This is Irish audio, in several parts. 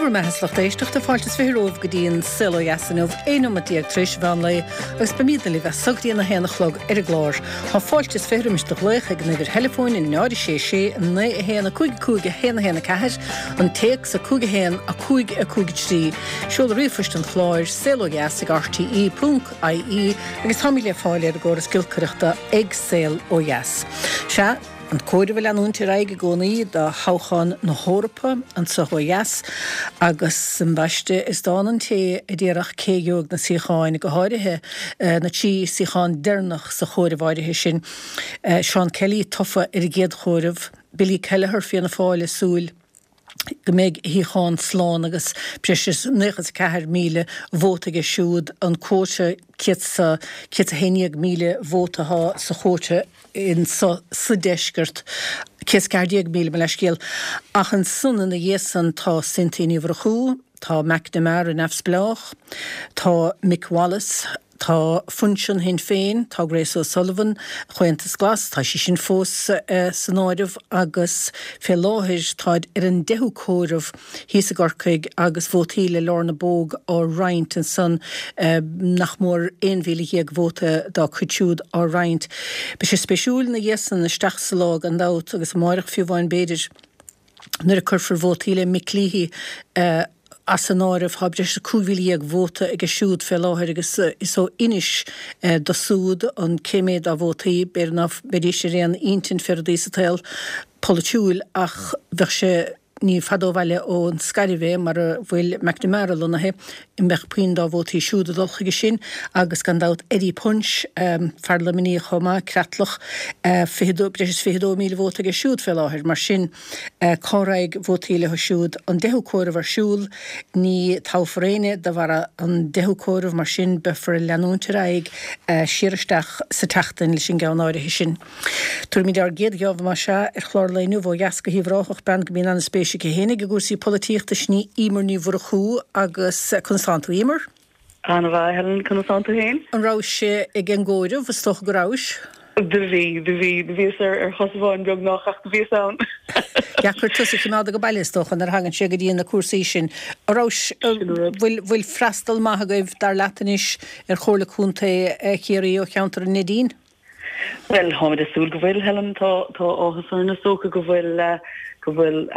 Go raibh maith agat a lucht éisteachta, fáilte is 20 romhaibh go dtí an Saol Ó Dheas inniu, 11 nóimeat tar éis an mheán lae agus beimidne libh as so go dtí an 1 a chlog ar an gclár. Tá fáilte is 20 roimis do ghlaoch ag an uimhir theileafóin 0 6 6 9 1 5 5 1 1 4, an téacs 5 1 5 5 3, seoladh ríomhphoist an chláir, saolodheas ag rte ponc ie agus táimid le fáil ar an gcóras giolcaireachta ag Saol Ó Dheas. Sea. An comhaireamh ag leanúint ar aghaidh i gcónaí do thoghchán na hEorpa anseo ó dheas agus ambaiste is dána an té a déarfadh cé a gheobhaidh na suíocháin, go háirithe na 3 suíochán deireanach sa chomhaireamh áirithe sin. Seán Kelly tofa ar an gcéad chomhaireamh, Billy Kelleher, Fianna Fáil, ag súil go mbeidh a shuíochán slán agus breis is 94,000 vóta aige siúd, an quota 111,000 vóta atá sa chóta anso sa deisceart, 114,000 mo leithscéal. Ach ansan ina dhiaidh san tá Cynthia Ní Mhurchú, tá McNamara neamhspleách, tá Mick Wallace, Tá Fuinseann Shinn Féin, tá Grace O'Sullivan, Comhaontas Glas, tá sí sin fós san áireamh agus fé láthair táid ar an deichiú comhaireamh thíos i gCorcaigh agus vótaí le Lorna Bogue á roinnt ansan, nach mór 11,000 vóta dá cuid siúd á roinnt. Beidh sé spéisiúil ina dhiaidh san isteach sa lá gan dabht agus amáireach fiú amháin b'fhéidir. Nuair a cuirfear vótaí le Mick Leahy as an áireamh, tá breis is 15,000 vóta aige siúd fé láthair agus is ó Inis do siúd an cé méad dá vótaí. B'fhéidir ná beidís ar aon intinn fé rudaí sa tsaol polaitiúil ach bheadh sé ní fada ó bhaile ón Scairbh é mar a bhfuil McNamara lonnaithe. An mbeadh puinn dá vótaí siúd ag dul chuige sin agus gan dabht Eddie Punch, fear Luimnigh chomh maith, Creatlach, 22, breis is 22,000 vóta aige siúd fé láthair. Mar sin, cá raghaidh vótaí leo siúd? An deichiú comhaireamh ar siúl, ní toghfar éinne de bharra an deichiú comhaireamh, mar sin beifear ag leanúint ar aghaidh siar isteach sa tseachtain leis an gceann áirithe sin. Tabharfaimid ár gcéad gheábh más ea ar chlár an lae inniu ó dheas go hUíbh Ráthach, bean go mbíonn an-spéis aici fhéinig i gcúrsaí polaitíochta, sin í Emer Ní Mhurchú agus conas tánn tú, Emer? An-mhaith, Helen, conas tánn tú fhéin? An rabhais ag an gcomhaireamh? Is dócha go rabhais. Do bhí, do bhí, do bhíos ar ar chos amháin beagnach ach do bhíos ann. Deacair tusa a choimeád age baile is dócha nuair a thagann sé go dtí na cúrsaí sin. An rabhais, Sin an rud. bhfuil, bhfuil freastal maith agaibh, dar leat anois, ar Chomhairle Contae Chiarraí ó cheantar an Neidín? Bhuel, táimid ag súil go bhfuil, Helen. Tá, tá áthas orainn is dócha go bhfuil, go bhfuil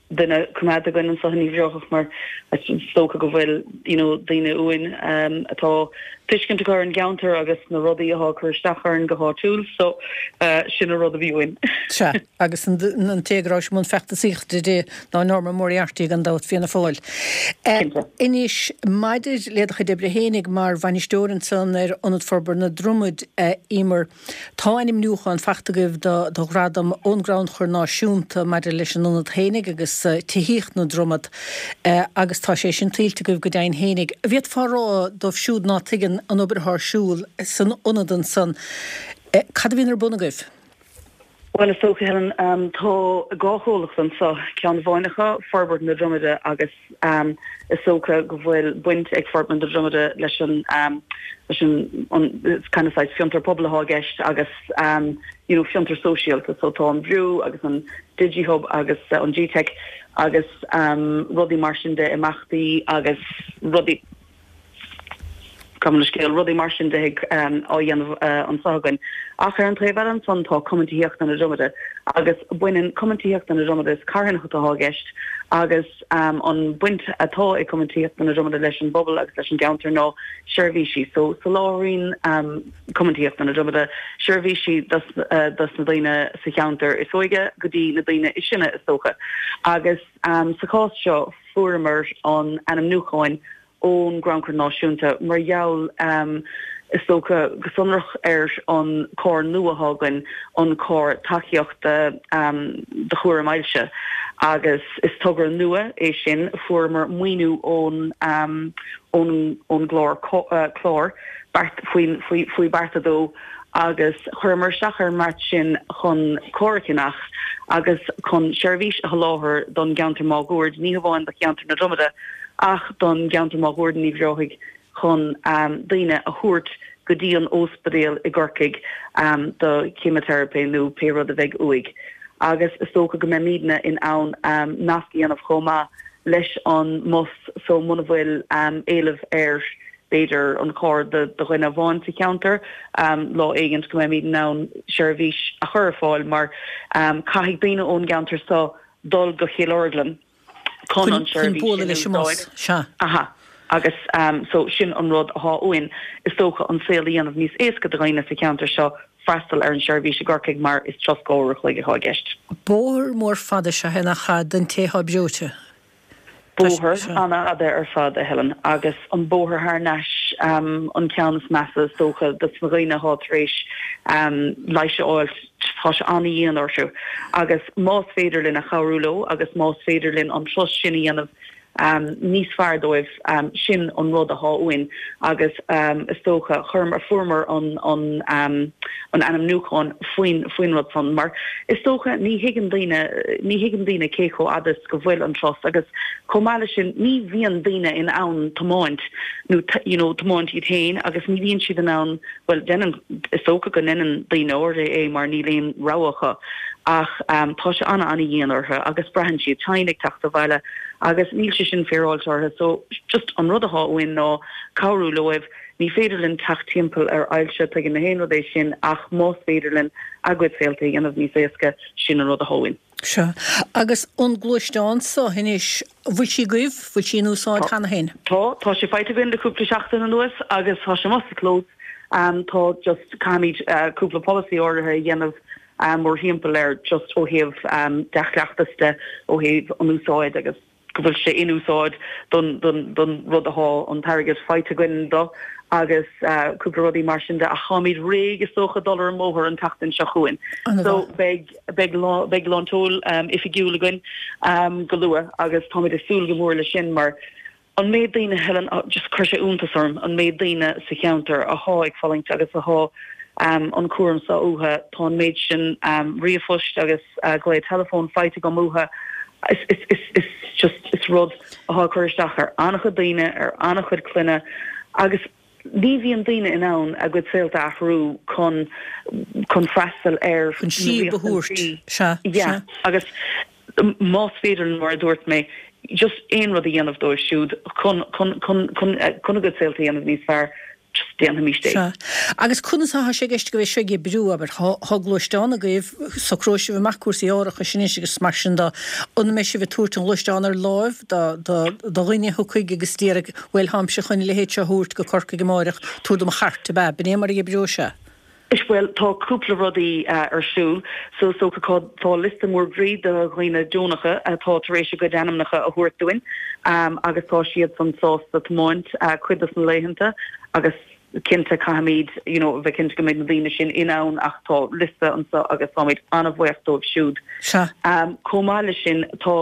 duine coimeádta againn anseo in Uíbh Ráthach mar is dócha go bhfuil, you know, daoine uainn atá tuiscint acu ar an gceantar agus na rudaí atá ag cur isteach orainn go háitiúil. So, sin an rud a bhí uainn. Sea, agus an té go raibh sé i mbun feachtasaíochta di ná Norma Moriarty gan dabht, Fianna Fáil. Cinnte. Anois, maidir le do chuid oibre fhéinig mar bhainisteoir ansan ar Ionad Forbartha na Dromad, a Emer, tá ainmniúchán fachta agaibh do do ghradam ón gCrannchur Náisiúnta maidir leis an ionad fhéinig agus tithíocht na Dromad agus tá sé sin tuillte agaibh go deimhin fhéinig. An bhféadfá a rá dóibh siúd ná tuigeann an obair atá ar siúl san ionad ansan, cad a bhíonn ar bun agaibh? Bhuel, is dócha, Helen, tá dhá chomhlacht anseo, ceann amháin acu, Forbairt na Dromada agus is dócha go bhfuil baint ag Forbairt na Dromada leis an, leis an, an kind of saghas fiontar pobail atá i gceist agus you know fiontar sóisialta. So tá an Brú agus an DigiHub agus an GTeic agus rudaí mar sin de, imeachtaí agus rudaí. Gabh mo leithscéal, rudaí mar sin de á dhéanamh anseo againn. Ach ar an taobh eile ansan tá Cumann Tithíochta na Dromada agus baineann Cumann Tithíochta na Dromada, is carthanacht atá i gceist agus an baint atá ag Cumann Tithíochta na Dromada leis an bpobal agus leis an gceantar ná seirbhísí. So soláthraíonn Cumann Tithíochta na Dromada seirbhísí dos na daoine sa cheantar is óige go dtí na daoine is sine is dócha. Agus sa chás seo fuaireamar an ainmniúcháin ón gCrannchur Náisiúnta mar gheall, is dócha, go sonrach ar an carr nua atá againn, an carr tacaíochta do chúram ailse. Agus is togra nua é sin, fuaireamar maoiniú ón ón ón gclár clár beart faoin faoi faoi Beart 2 agus chuireamar isteach ar an mbeart sin chun carr a cheannach agus chun seirbhís a sholáthar don gceantar máguaird, ní hamháin do cheantar na Dromada ach don gceantar máguaird in Uíbh Ráthaigh chun daoine a thabhairt go dtí an óispidéal i gCorcaigh do cheimiteiripe nó pé rud a bheidh uaidh. Agus is dócha go mbeimidne in ann nasc a dhéanamh chomh maith. leis an mbus so muna bhfuil éileamh ar b'fhéidir an carr do dhuine amháin sa cheantar, lá éigint go mbeimid in ann seirbhís a chur ar fáil mar caithfidh daoine ón gceantar so dul go Cill Orglan chun an tseirbhís sin a úsáid. Sea. Aha. Agus so sin an rud athá uainn, is dócha an saol a dhéanamh níos éasca do dhaoine sa cheantar seo freastal ar an seirbhís i gCorcaigh mar is turas 2 uair a chloig athá i gceist. Bóthar mór fada is ea é nach ea don té athá breoite. Bóthar an-fhada ar fad, a Helen, agus an bóthar thar n-ais an ceann is measa is dócha dos na dhaoine athá tar éis leighis a fháilt, tá sé an-dhian orthu agus más féidir linn a chabhrú leo agus más féidir linn an turas sin a dhéanamh níos fearr dóibh, sin an rud athá uainn agus is dócha, chuireamar, fuaireamar an, an, an ainmniúchán faoin, faoin rud san mar is dócha ní thuigeann daoine, ní thuigeann daoine cé chomh fhada is go bhfuil an turas agus chomh maith leis sin ní bhíonn daoine in ann tiomáint nó you know tiomáint iad féin agus ní bhíonn siad in ann, bhuel déanann, is dócha go ndéanann daoine áirithe é mar níl aon rogha acu ach tá sé an-an-dhian orthu agus braitheann siad tinn ag teacht abhaile agus níl sé sin féaráilte orthu so just an rud athá uainn ná cabhrú leoibh, ní féidir linn teacht timpeall ar ailse, tuigeann na haon rud é sin ach más féidir linn a gcuid saolta a dhéanamh níos éasca, sin an rud athá uainn. Sea. Agus an gluaisteán so anois, bhfuil sí agaibh, bhfuil sí in úsáid cheana féin? Tá, tá sé faighte againn le cúpla seachtain anuas agus tá sé amuigh sa chlós. Tá just, caithfimid cúpla polasaí áirithe a dhéanamh mórthimpeall air just ó thaobh dea-chleachtas de, ó thaobh an úsáid agus go bhfuil sé in úsáid don don rud athá an t-airgead faighte againn do agus cúpla rudaí mar sin de ach táimid réidh is dócha dul ar an mbóthar an tseachtain seo chugainn. So beidh beidh beidh lán tseoil oifigiúil againn go luath agus táimid ag súil go mór leis sin mar An méid daoine, Helen, just chuir sé iontas orm, an méid daoine sa cheantar athá ag fulaingt agus athá an cúram seo uathu. Tá an méid sin ríomhphoist agus glao teileafóin faighte agam uathu. Is, is, is, is just, is rud athá ag cur isteach ar an-chuid daoine, ar an-chuid clainne agus ní bhíonn daoine in ann a gcuid saolta a athrú chun, chun freastal ar Chun síob a thabhairt. Sea, sea. Agus más féidir linn, mar a dúirt mé, just aon rud a dhéanamh dóibh siúd chun, chun, chun, chun, chun a gcuid saolta a dhéanamh níos fearr, just déanfaimis é. Sea. Agus conas atá sé i gceist go mbeidh seo ag oibriú, abair, tá, tá gluaisteán agaibh, socróidh sibh amach cúrsaí árachais anois agus mar sin de, an mbeidh sibh ag tabhairt an ghluaisteáin ar láimh do, do, do dhuine a thiocfaidh agus déarfaidh, bhuel, táimse chun a leithéid seo a thabhairt go Corcaigh amáireach, tabhair dom an chairt, ab ea? B'in é mar a oibreoidh sé? Bhuel, tá cúpla rudaí ar siúl. So is dócha tá liosta mór groí de dhaoine deonacha atá tar éis a gcuid ainmneacha a thabhairt dúinn agus tá siadsan sásta tiomáint cuid dos na laethanta agus cinnte caithfimid you know a bheith cinnte go mbeidh na daoine sin in ann ach tá liosta anseo agus táimid an-bhuíoch dóibh siúd. Sea. Chomh maith leis sin tá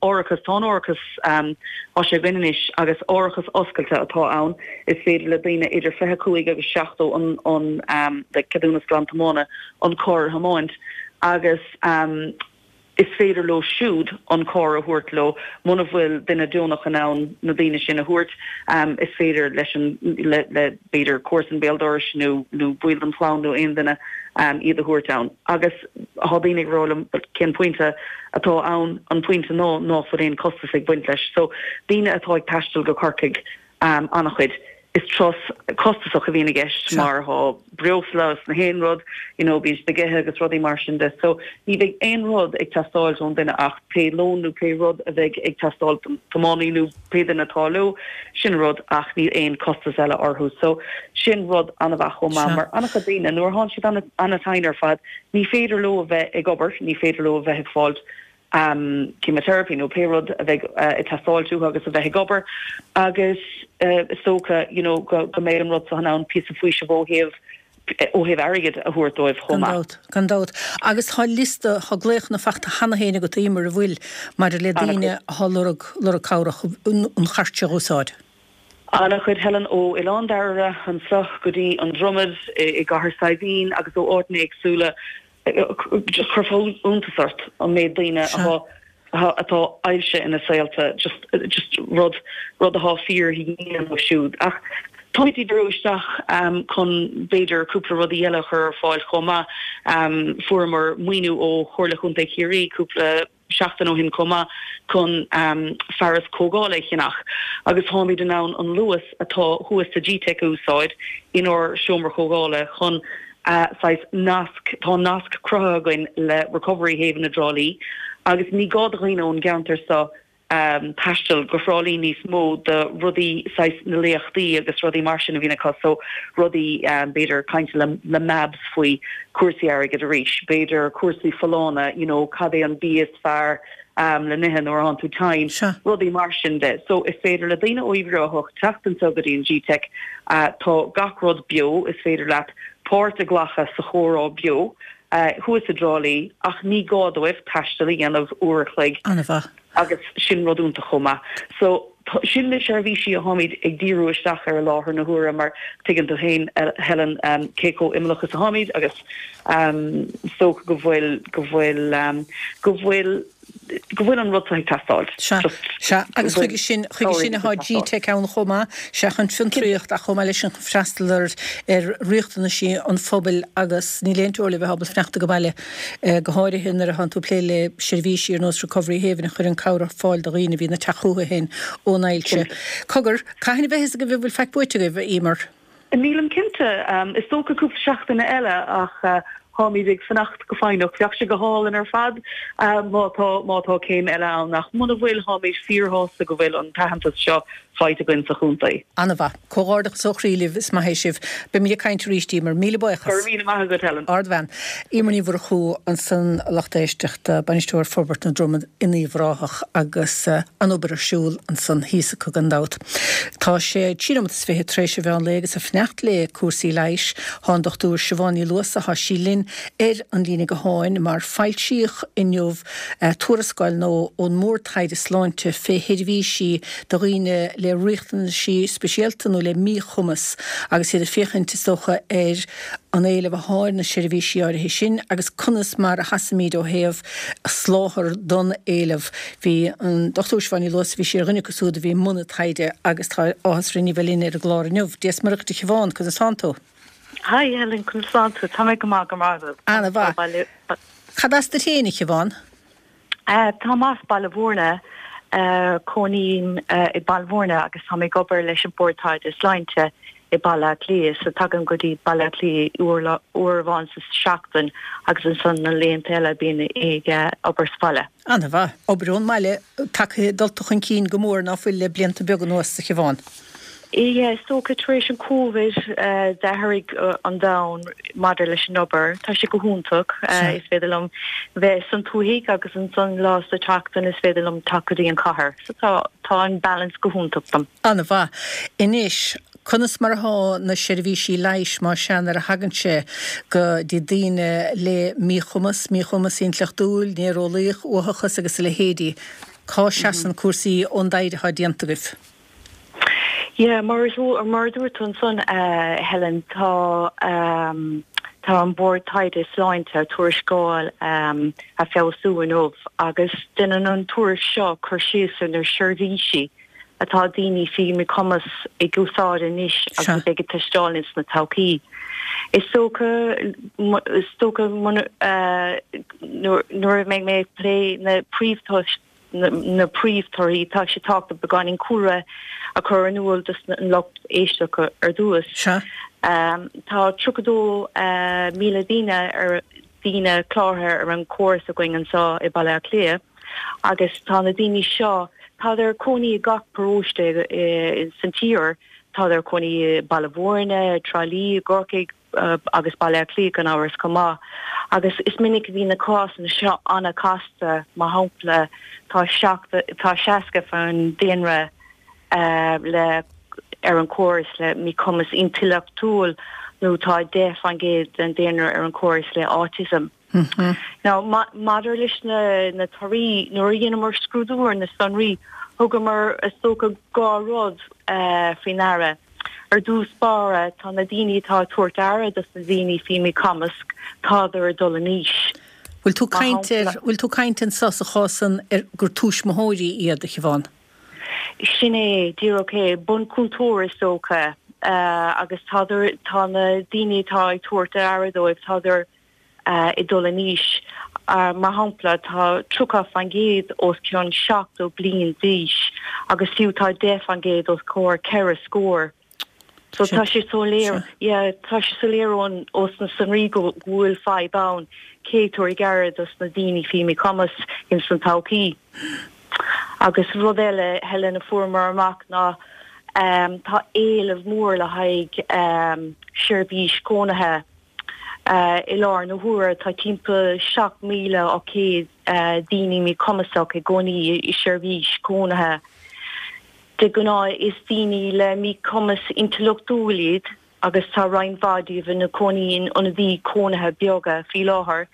árachas, tá an árachas, tá sé againn anois agus árachas oscailte atá ann. Is féidir le daoine idir 25 agus 70 an an le ceadúnas glan-tiomána an carr a thiomáint agus is féidir leo siúd an carr a thabhairt leo. Muna bhfuil duine deonach in ann na daoine sin a thabhairt, is féidir leis an le le b'fhéidir comharsan béal dorais nó nó baill den chlann nó aon duine iad a thabhairt ann. Agus tá daoine ag rá liom cén pointe atá ann? An pointe ná ná fuil aon costas ag baint leis. So daoine atá ag taisteal go Corcaigh, an-chuid. Is turas costasach a bhíonn i gceist mar tá breosla agus na haon rud, you know, bíonn siad ag ithe agus rudaí mar sin de. So ní bheidh aon rud ag teastáilt ón duine ach pé lón nó pé rud a bheidh ag teastáil don tiománaí nó pé duine atá leo, sin rud ach níl aon costas eile orthu. So sin rud an-mhaith chomh maith mar an-chuid daoine nuair atánn siad an-tinn ar fad ní féidir leo a bheith ag obair, ní féidir leo a bheith ag fáilt chemotherapy nó pé rud a bheidh ag teastáilt uathu agus a bheith ag obair agus is dócha you know go mbeidh an rud seo in ann píosa faoisimh ó thaobh ó thaobh airgid a thabhairt dóibh chomh maith. Gan dabht, gan dabht. Agus tá liosta, tá glaochanna fachta cheana féin agat, Eimear, an bhfuil, maidir le daoine atá ag lorg, lorg cabhrach an chairt seo a úsáid? An-chuid, Helen, ó Oileán Dairbhre anseo go dtí an Dromad i gCathair Saidhbhín agus ó áiteanna éagsúla. Just chuirfeadh iontas ort an méid daoine atá atá ailse ina saolta, just just rud rud atá fíordhian dóibh siúd. Ach táimid ag díriú isteach chun b'fhéidir cúpla rudaí eile a chur ar fáil chomh maith. Fuaireamar maoiniú ó Chomhairle Chontae Chiarraí cúpla. seachtain ó shin chomh maith chun fearas comhdhála a cheannach agus táimid in ann an luas atá thuas sa GTeic a úsáid inár seomra comhdhála chun saghas nasc, tá nasc cruthaithe againn le Recovery Haven i dTrá Lí agus ní gá do dhaoine ón gceantar seo taisteal go Thrá Lí níos mó do rudaí saghas na léachtaí agus rudaí mar sin a bhíonn acu so rudaí b'fhéidir caint le le MABS faoi cúrsaí airgid arís, b'fhéidir cúrsaí folláine you know cad é an bia is fearr le n-ithe nuair atánn tú tinn, rudaí mar sin de. So is féidir le daoine ó Uíbh Ráthach teacht anseo go dtí an GTeic, tá gach rud beo, is féidir leat páirt a ghlacadh sa chomhrá beo thuas i dTrá Lí ach ní gá dóibh taisteal a dhéanamh uair a chloig. An-mhaith. Agus sin rud iontach chomh maith. So sin na seirbhísí atáimid ag díriú isteach ar i láthair na huaire mar tuigeann tú féin, Helen, cé chomh imeallach is atáimid agus is dócha go bhfuil, go bhfuil, go bhfuil, go bhfuil an rud seo ag teastáil. Sea, sea, agus chuige sin, chuige sin atá GTeic ann chomh maith, sea, chun fiontraíocht ach chomh maith leis sin chun freastal ar, ar riachtanaisí an phobail agus níl aon teora le bheith ábalta fanacht ag baile. go háirithe nuair atánn tú ag plé le seirbhísí ar nós Recovery Haven a chuireann cabhair ar fáil do dhaoine a bhíonn ag teacht chucu féin ón ailse. Cogar, cathain a bheidh a fhios agaibh an bhfuil faic buaite agaibh, a Emer? Nílim cinnte. Is dócha cúpla seachtaine eile ach táimid ag fanacht go foighneach. Bheadh sé go hálainn ar fad má tá má tá céim eile ann ach muna bhfuil táimid fíorshásta go bhfuil an t-aitheantas seo faighte againn sa chontae. An-mhaith. Comhghairdeachas ó chroí libh, is maith é sibh. Beimid ag caint arís, Emer. Míle buíochas. Go raibh míle maith agat, Helen. Ardbhean. Emer Ní Mhurchú ansan, a lucht éisteachta, Bainisteoir Forbairt na Dromad in Uíbh Ráthach agus an obair ar siúl ansan thíos acu gan dabht. Tá sé 3 nóimeat is 20 tar éis an mheán lae agus ag fanacht le cúrsaí leighis thá an Dr Siobhán Ní Luasa, thá sí linn ar an líne gutháin mar foilsíodh inniu tuarascáil nua ón mBord Taighde Sláinte fé sheirbhísí do dhaoine le riachtanaisí speisialta nó le míchumas agus iad ag féachaint, is dócha, ar an éileamh athá ar na seirbhísí áirithe sin agus conas mar a sheasaimid ó thaobh soláthar don éileamh. Bhí an Dr Siobhán Ní Luasa, bhí sí ar dhuine acu siúd a bhí i mbun an taighde agus tá áthas orainn í bheith linn ar an gclár inniu. Dia 's Muire dhuit a Shiobhán, conas tánn tú? Hi Helen, conas tánn tú? Tá mé go maith, go maith agat. Ana-mhaith. Cad as duit féin, a Shiobhán? Táim as Baile Mhúirne, cónaím i Baile Mhúirne agus táim ag obair leis an Bord Taighde Sláinte i Baile Átha Cliath. So tagaim go dtí Baile Átha Cliath uair uair amháin sa seachtain agus ansan na laethanta eile bím ag obair sa bhaile. Ana-mhaith. Obair ón mbaile tagtha dulta chun cinn go mór ná fuil le blianta beaga anuas, a Shiobhán? Yeah, is dócha tar éis an Covid d'athraigh an domhan maidir leis an obair. Tá sé go hiontach. Is féidir liom bheith san tuaithe agus ansan lá sa tseachtain is féidir liom teacht go dtí an chathair. So tá tá an balance go hiontach dom. An-mhaith. Anois, conas mar athá na seirbhísí leighis más ea nuair a thagann sé go dtí daoine le míchumas, míchumas intleachtúil, néareolaíoch, uathachas agus a leithéidí? Cá seasann cúrsaí ón dtaighde athá déanta agaibh? Yeah, mar mar a dúirt tú ansan, a Helen, tá tá an Bord Taighde Sláinte tuarascáil a foilsiú inniu agus déanann an tuairisc seo cur síos ar na seirbhísí atá daoine faoi mhíchumas ag úsáid anois agus a bheidh ag teastáil ins na todhchaí. Is dócha is dócha nuair a mbeidh mé ag plé na príomhthoisc na príomhthorthaí, tá sé tábhachtach beagáinín cúlra a chur in iúl dos an lucht éisteachta ar dtús. Sea. Tá 32,000 daoine ar daoine cláraithe ar an chóras againn anseo i Baile Átha Cliath agus tá na daoine seo, tádar ag cónaí i gach paróiste san tír, tádar ag cónaí i Baile Mhúirne, Trá Lí, i gCorcaigh, agus Baile Átha Cliath gan amhras chomh maith. Agus is minic a bhíonn na cásanna seo an-chasta, mar shampla tá tá 60 faoin daonra le ar an chóras le míchumas intleachtúil nó tá 10% den daonra ar an chóras le autism. Now maidir leis na na torthaí, nuair a dheineamar scrúdú ar na sonraí, thugamar is dócha dhá rud faoi ndeara. Ar dtús báire, tá na daoine atá ag tabhairt aire dos na daoine faoi mhíchumas, tádar ag dul in aois. Bhfuil tú caint ar, bhfuil tú caint anso sa chás san ar gur tuismitheoirí iad, a Shiobhán? Sin é, díreach é, bunchúntóir is dócha, agus tádar, tá na daoine atá ag tabhairt aire dóibh, tádar, ag dul in aois. Mar shampla, tá 30% os cionn 70 bliain d'aois agus fiú tá 10% os comhair ceithre scór. So tá sé soiléir, yeah, tá sé soiléir ón ós na sonraí go bhfuil fadhb ann cé tabhair aire dos na daoine faoi míchumas ins an todhchaí. Agus rud eile, Helen, a fuaireamar amach ná tá éileamh mór le haghaidh seirbhís cónaithe. I láthair na huaire tá timpeall 7,800 daoine míchumasach i gcónaí i seirbhís cónaithe. De ghnáth is daoine le míchumas intleachtúil iad agus tá roinnt mhaith díobh ina cónaí in ionadaí cónaithe beaga faoi láthair,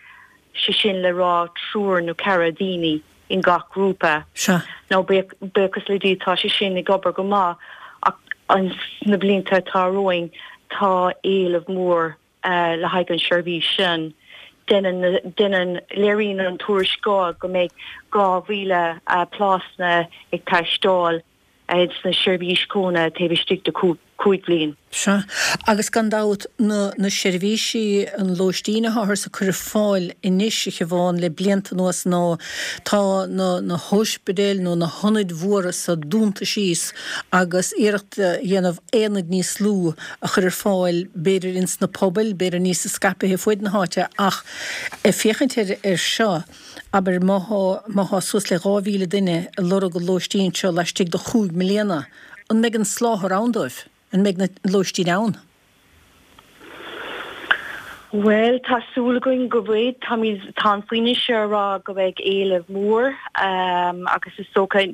sé sin le rá triúr nó ceathrar daoine in gach grúpa. Sea. Now buíochas le Dia tá sé sin ag obair go maith ach sna blianta atá romhainn tá éileamh mór le haghaidh an seirbhís sin. Déanann, déanann, léiríonn an tuarascáil go mbeidh 2,000 plásanna ag teastáil sna seirbhís cónaithe taobh istigh de 5 bhliain. Sea, agus gan dabht, na, na seirbhísí, an lóistín atáthar ag cur ar fáil anois, a Shiobhán, le blianta anuas ná tá na, na hóispidéil nó na hionaid mhóra so dúnta síos agus iarracht a dhéanamh aonaid níos lú a chur ar fáil, b'fhéidir ins na pobail, b'fhéidir níos scaipthe fuaid na háite ach ag féachaint ar, ar seo, abair má thá, má thá suas le 2,000 duine ag lorg an lóistín seo laistigh de chúig mbliana, an mbeidh an soláthar ann dóibh? An mbeidh na lóistín ann? Bhuel, tá súil againn go bhfuil. Táimid, tá an foinse ag rá go mbeidh éileamh mór agus is dócha,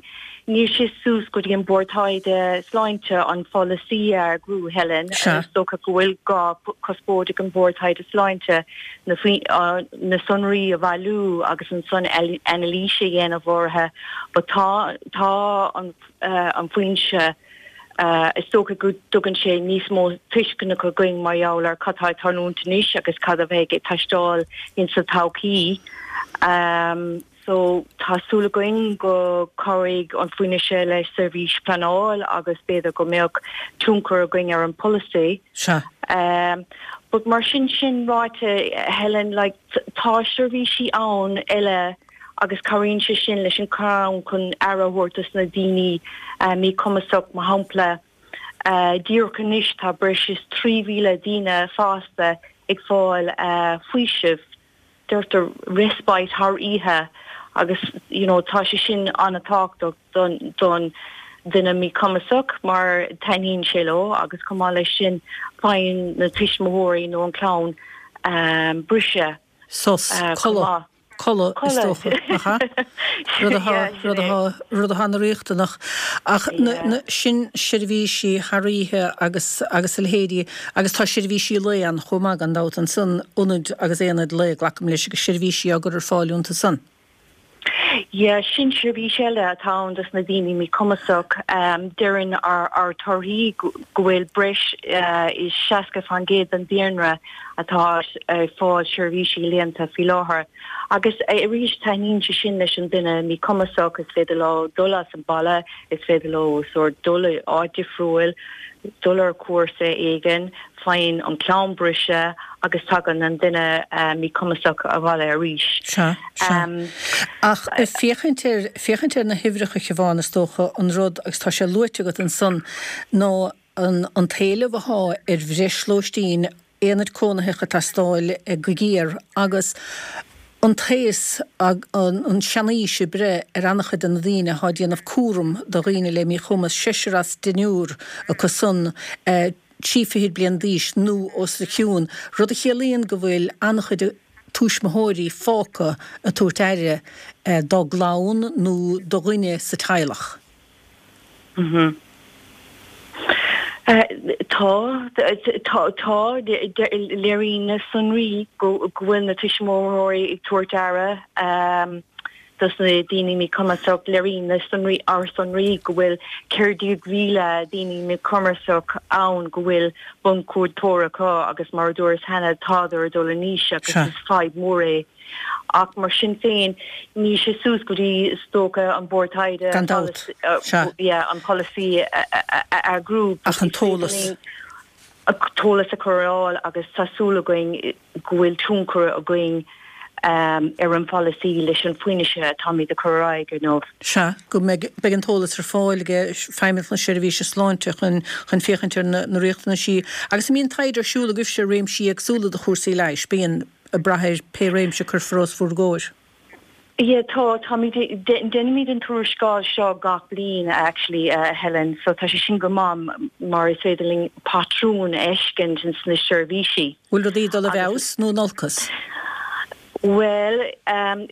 níl sé suas go dtí an Bord Taighde Sláinte an pholasaí a eagrú, Helen. Sea. Is dócha go bhfuil gá cuspóid ag an Bord Taighde Sláinte na, na sonraí a bhailiú agus ansan anailís a dhéanamh orthu but tá, tá an, an foinse, Is dócha go dtugann sé níos mó tuisceana againn mar gheall ar cad tá ag tarlúint anois agus cad a bheidh ag teastáil insa todhchaí. So tá súil againn go cabhróidh an foinse le seirbhís pleanáil agus b'fhéidir go mbeadh tionchar againn ar an polasaí. Sea. But mar sin sin ráite, Helen, like tá seirbhísí ann eile agus cabhraíonn sé sin leis an clann chun aire a thabhairt dos na daoine míchumasach, mar shampla, díreach anois tá breis is 3,000 daoine fásta ag fáil faoiseamh, deirtear respite thar oíche agus you know tá sé sin an-tábhachtach don don duine míchumasach mar taitníonn sé leo agus chomh maith leis sin faigheann na tuismitheoirí nó an clann briseadh Sos, codladh. Codladh, is dócha, nach ea? Rud atá, rud atá, rud atá ana-riachtanach. Ach na, na, sin seirbhísí thar oíche agus, agus a leithéidí, agus tá seirbhísí lae ann chomh maith, gan dabht, ansan, ionaid agus aonaid lae, glacaim leis, agus seirbhísí á gcur ar fáil iontu san. Yeah, sin seirbhís eile atá ann dos na daoine míchumasach. Deireann ár torthaí go bhfuil breis is 60% den daonra atá ag fáil seirbhísí laethanta faoi láthair. Agus arís taitníonn sé sin leis an duine míchumasach, is féidir leo dul as an baile, is féidir leo sórt dul i áit difriúil, dul ar cúrsa éigin, faigheann an clann briseadh agus tagann an duine míchumasach abhaile arís. Sea, sea. Ach féachaint ar, féachaint ar na huimhreacha, a Shiobhán, is dócha, an rud, agus tá sé luaite agat ansan, ná an, an t-éileamh athá ar bhreis lóistín, aonaid cónaitheacha ag teastáil go géar agus an t-aos, an seanaois ag breith ar an-chuid de na daoine athá ag déanamh cúram do dhaoine le míchumas, seisear as deichniúr acu san, 23 fichid bliain d'aois nó os a chionn, rud a chiallaíonn go bhfuil an-chuid tuismitheoirí fágtha ag tabhairt aire dá gclann nó do dhuine sa teaghlach. Tá, tá, tá, léiríonn na sonraí go bhfuil na tuismitheoirí ag tabhairt aire. dos na daoine míchumasach. Léiríonn na sonraí, ár sonraí, go bhfuil 14,000 daoine míchumasach ann go bhfuil bunchuardaitheoir acu agus mar a dúras cheana tádar ag dul in aois agus is fadhb mhór é. Ach mar sin féin níl sé suas go dtí is dócha an Bord Taighde Gan dabht. Sea. yeah, an polasaí a eagrú. Ach an t-eolas. An t-eolas a chur ar fáil agus tá súil againn go bhfuil tionchar againn. Ar an pholasaí leis an bhfianaise atáimid a chur ar aghaidh inniu. Sea, go mbeidh beidh an t-eolas ar fáil ag Feidhmeannacht na Seirbhíse Sláinte chun chun féachaint ar na na riachtanaisí. Agus an mbíonn taighde ar siúl agaibhse ar réimsí éagsúla de chúrsaí leighis? Bíonn, ag brath ar pé réimse a cuirfear os bhur gcomhair. Yeah, tá, táimid, déanaimid an tuarascáil seo gach bliain actually, a Helen, so tá sé sin go maith mar is féidir linn patrún a fheiscint ins na seirbhísí. Bhfuil rudaí ag dul i bhfeabhas nó in olcas? Bhuel,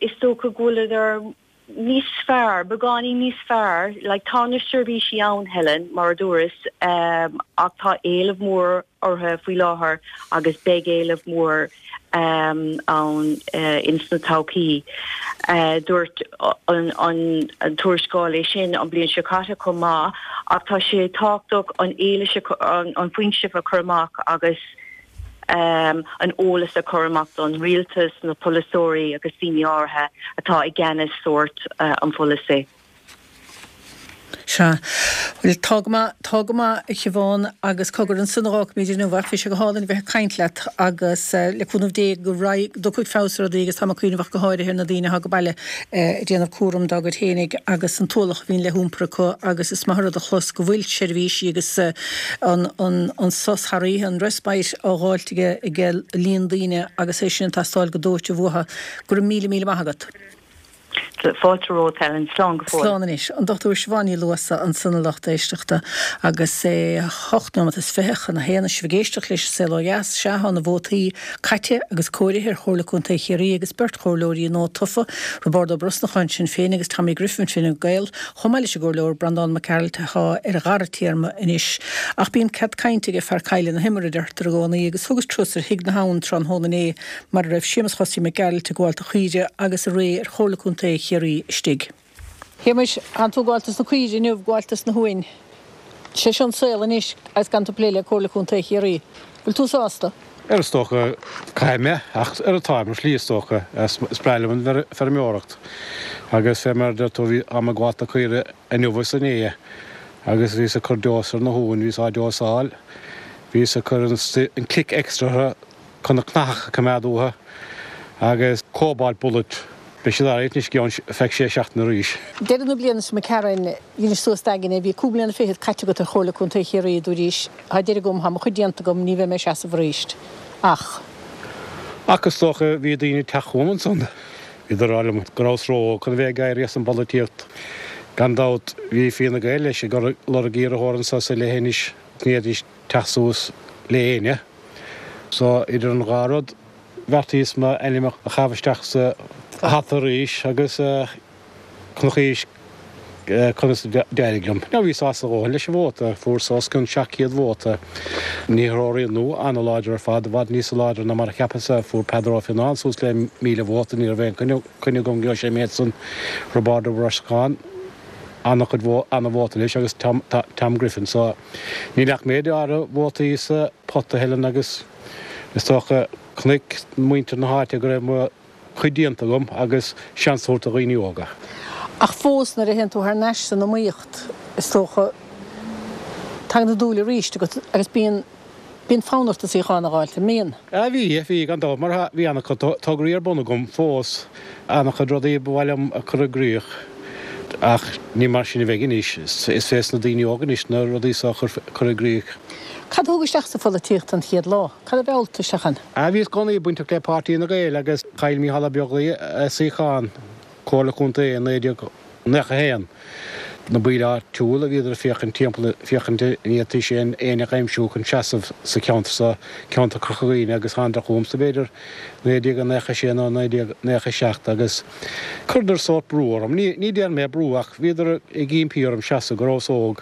is dócha go bhfuileadar níos fearr, beagáinín níos fearr. Like, tá na seirbhísí ann, Helen, mar a dúras, ach tá éileamh mór orthu faoi láthair agus beidh éileamh mór ann ins na todhchaí. Dúirt an tuarascáil é sin an bliain seo caite chomh maith ach tá sé tábhachtach an eolas, an fhoinse a chur amach agus an eolas a chur amach don rialtas, na polaseoirí agus daoine áirithe atá i gceannas sórt an pholasaí. Sea. Bhuel, tá go maith, tá go maith, a Shiobhán, agus cogar ansan a dh'fhágfaimid inniu, ach bhí sé go hálainn a bheith ag caint leat agus le cúnamh Dé go raghaidh, go dtiocfaidh feabhas ar rudaí agus tá mé ag cuimhneamh ach go háirithe ar na daoine atá ag baile ag déanamh cúram dá gcuid fhéinig agus an t-ualach a bhíonn le hiompar acu agus is maith an rud a chlos go bhfuil seirbhísí agus an, an, an sos thar oíche, an respite á dh'fháilt ag, ag líon daoine agus é sin ag teastáil go dóite uathu. Go raibh míle, míle maith agat. Fáilte romhat, Helen. Slán go fóill. Slán anois. An Dr Siobhán Ní Luasa ansan a lucht éisteachta agus é hocht nóiméad is 20 chun a haon. Sibh ag éisteacht leis an Saol Ó Dheas. Sea, tá na vótaí caite agus comhairithe ar Chomhairle Contae Chiarraí agus beirt chomhairleoirí nua tofa, Roibeárd Ó Brosnacháin, Sinn Féin, agus Tommy Griffin, Fine Gael, chomh maith leis an gComhairleoir Breandán Mac Gearailt atá ar a dhara téarma anois. Ach bíonn cead cainte ag fear caille na himeartha, a deirtear i gcónaí, agus thugas turas ar Thigh na hAbhann tráthnóna inné mar a raibh Séamus Chosaí Mac Gearailt ag gabháil do chaoire agus a ré ar Chomhairle Contae Chiarraí istigh. Shéamais, tánn tú ag gabháil dos na caoire inniu, ag gabháil dos na huain. Sé seo an saol anois agus gan tú ag plé le Comhairle Contae Chiarraí. Bhfuil tú sásta? Ar is dócha, caithfidh mé, ach ar táim ar shlí is dócha. Is breá liom an feirmeoireacht agus fé mar a deir tú, bhí, táim ag gabháil do caoire inniu agus inné agus bhíos ag cur deos ar na huain, bhíos á deosáil, bhíos ag cur an click extra orthu, chun na cnaitheacha a choimeád uathu agus cobalt bullet. Beidh siad alright anois i gceann feadh sé seachtaine arís. Deireadh na bliana seo imigh tharainn, dheinis suas d'aigne, bhí cúig bliana fichead caite agat ar Chomhairle Contae Chiarraí, dúraís, tá deireadh agam, tá mo chuid déanta agam, ní bheidh mé ag seasamh arís. Ach. Ach is dócha bhí daoine ag teacht chugam ansan, bhíodar ag rá liom go rabhas ró-óg chun a bheith ag éirí as an bpolaitíocht. Gan dabht bhí Fianna Gael leis ag lorg iarrthóir anso sa leithinis, ní fhéadfaidís teacht suas le éinne. So, idir an dhá rud, bheartaíos m'ainm a chaitheamh isteach sa hata arís agus chonaicís conas a d'éirigh liom. Now, bhíos sásta a dhóthain leis an vóta, fuaireas os cionn 700 vóta. Na hiarrthóirí nua an-láidir ar fad, i bhfad níosa láidre ná mar a cheapas-sa. Fuair Peadar Ó Fionnáin suas le 1,000 vóta, ní raibh aon choinne agam go gheobhadh sé an méid san. Roibeárd Ó Brosnacháin, an-chuid, an-vóta leis agus Tom Griffin. So, Níl ach méid áirithe vótaí sa phota, a Helen, agus is dócha, chonaic muintir na háite go raibh mo chuid déanta agam agus seans a thabhairt do dhaoine óga. Ach fós, nuair a théann tú thar n-ais san iomaíocht, is dócha, tagann an dúil arís agat agus bíonn, bíonn fonn ort an suíochán a dh'fháilt, an mbíonn? Ah bhí, bhí, gan dabht, mar bhí an-chuid tograí ar bun agam fós, an-chuid rudaí ba mhaith liom a chur i gcrích, ach ní mar sin a bheidh anois, is fés na daoine óga anois na rudaí so a chur i gcrích. Cad a thug isteach sa pholaitíocht an chéad lá? Cad a mheall tú isteach ann? Ah bhíos i gcónaí bainteach le Páirtí Fhine Gael agus chaill Mícheál Ó Beaglaoich a suíochán Comhairle Contae i 1991. Na baill áitiúla, bhíodar ag féachaint timpeall, féachaint an bhféadfaidís éinne a aimsiú chun seasamh sa cheantar so, ceantar Chorca Dhuibhne agus thánadar chugamsa b'fhéidir 1996 nó 1997 agus chuireadar sórt brú orm. Ní, ní déarfaidh mé brú ach bhíodar ag impí orm seasamh go rabhas óg.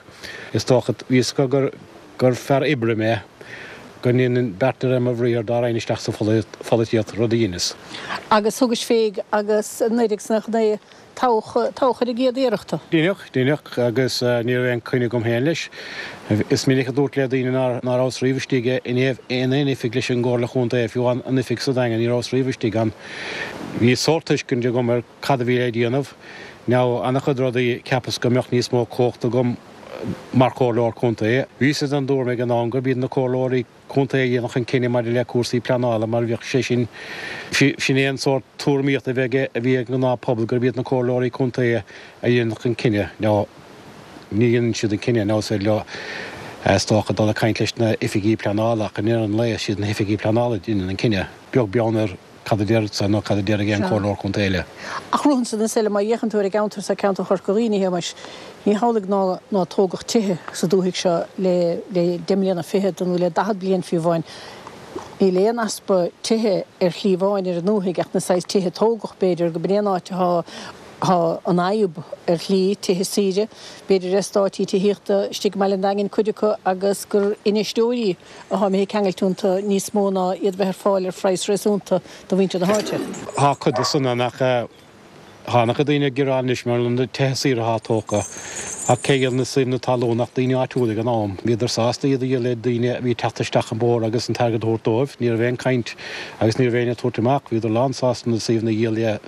Is dócha, bhí fhios acu gur, gur fear oibre mé, go ndéanfainn beart de réir mo bhriathair dá raghainn isteach sa pholaitíocht, rud a dheineas. Agus thugais fé agus i 1999 toghadh, toghadh ar an gcéad iarracht tú. Deineadh, deineadh, agus ní raibh aon choinne agam féin leis. Is minic a dúrt le daoine ná rabhas riamh istigh in aon oifig leis an gComhairle Chontae, fiú an oifig sa Daingean, ní rabhas riamh istigh ann. Bhí sórt tuiscint agam ar cad a bhí le déanamh. Now, an-chuid rudaí, cheapas go mbeadh níos mó cumhachta agam. mar chomhairleoir contae. Bhíos-sa den dtuairim ag an am gurb iad na comhairleoirí contae a dhéanfadh an cinneadh maidir le cúrsaí pleanála mar bhíodh sé sin, sin é an sórt tuairimíochta a bheidh a bhí ag an ngnáthphobal gurb iad na comhairleoirí contae a dhéanfadh an cinneadh. Now ní dhéanann siad an cinneadh, now is féidir leo is dócha dul ag caint leis na hoifigí pleanála ach i ndeireadh an lae is iad na hoifigí pleanála a dhéanann an cinneadh, beag beann ar cad a déarfadsa nó cad a déarfaidh aon chomhairleoir contae eile. Ach romhamsa is eile, má fhéachann tú ar an gceantar seo, ceantar Chorca Dhuibhne, a Shéamais, ní hamhlaidh ná ná tógadh tithe sa dúthaigh seo le le deich mbliana fichead nó le 40 bliain fiú amháin. Níl aon easpa tithe ar shlí amháin ar an ndúthaigh ach na saghas tithe a tógadh, b'fhéidir, go b'in é an áit atá thá an fhadhb ar shlí, tithe saoire, b'fhéidir eastáití tithíochta istigh i mBaile an Daingin, cuid acu, agus gur infheisteoirí atá imithe ag ceangailt iontu níos mó ná iad bheith ar fáil ar phraghas réasúnta do mhuintir na háite. Tá cuid de san ann ach tá ana-chuid daoine ag gearán anois mar na tithe saoire atá tógtha ach cé a dhíol na suíomhanna talún ach daoine áitiúla ag an am. Bhíodar sásta iad a dhíol le daoine a bhí ag teacht isteach an bóthar agus an t-airgead a thabhairt dóibh. Ní raibh aon chaint agus ní raibh éinne ag tabhairt amach. Bhíodar lán sásta na suíomhanna a dhíol le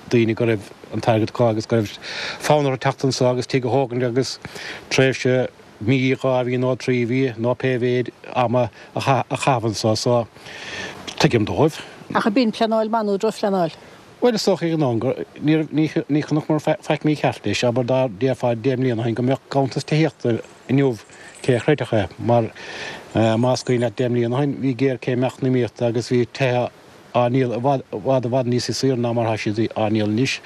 daoine go raibh an t-airgead acu agus go raibh fonn orthu teacht anso agus tigh a thógaint agus tréimhse mí, 2 mhí nó 3 mhí nó pé mhéid ama a chaitheamh anso so tuigim dóibh. Ach ab in pleanáil maith nó drochphleanáil? Bhuel is dócha ag an am gur, ní chonaiceamar faic mícheart leis, abair dá déarfá 10 mbliana ó shin go mbeadh ganntanas tithíochta inniu cé a chreidfeadh é mar más cuimhin leat 10 mbliana ó shin bhí géarchéim eacnamaíochta agus bhí tithe á ndíol i bhfad, i bhfad, i bhfad níos saoire ná mar atá siad á ndíol anois.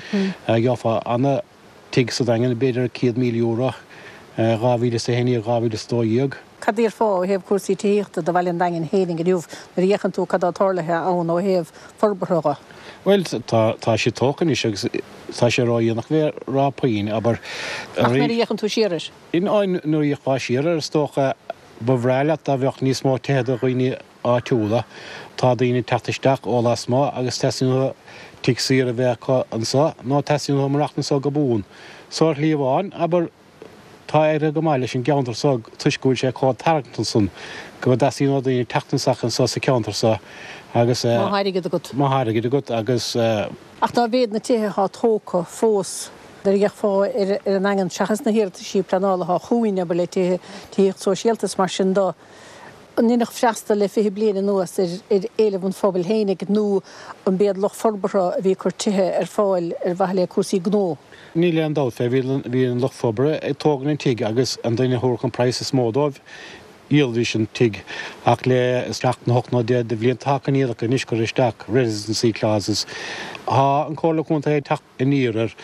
Gheofá ana. tigh sa Daingean, b'fhéidir €100,000, 2011, 2012. Cad a déarfá ó thaobh cúrsaí tithíochta do Bhaile an Daingin fhéinig inniu nuair a fhéachann tú cad tá tarlaithe ann ó thaobh forbartha dho? Bhuel, tá, tá sé tógtha anois agus tá sé ródhéanach a bheith ag rá puinn, abair. Ach nuair a fhéachann tú siar air? Nuair a fhéachfá siar air, is dócha, ba bhreá leat dá bheadh níos mó tithe do dhaoine áitiúla. Tá daoine ag teacht isteach ó lasmuigh agus teastaíonn uathu tigh saoire a bheith acu anso nó teastaíonn uathu maireachtaint anso go buan. So ar shlí amháin, abair, tá éirithe go maith leis an gceantar so toisc go bhfuil sé chomh tarraingteach san go dteastaíonn ó daoine teacht isteach anso sa cheantar so agus. Má thá airgead agat. Má thá airgead agat agus. Ach dá mhéad na tithe athá tógtha fós, nuair a fhéachfá ar an nDaingean, seachas na hiarrataisí pleanála athá chugainn, abair, le tithe, tithíocht sóisialta is mar sin do, An ndeineadh freastal le 20 bliain anuas ar éileamh an phobail fhéinig nó an b'iad lucht forbartha a bhí ag cur tithe ar fáil ar mhaithe le cúrsaí gnó? Níl aon dabht fé, bhí an lucht forbartha ag tógaint an tigh agus an duine a thabharfadh an praghas is mó dóibh, dhíolfaidís an tigh. Ach le seacht nó hocht nó 10 de bhlianta tá coinníollacha anois curtha isteach, residency clauses. Tá an Comhairle Contae ag teacht aniar air.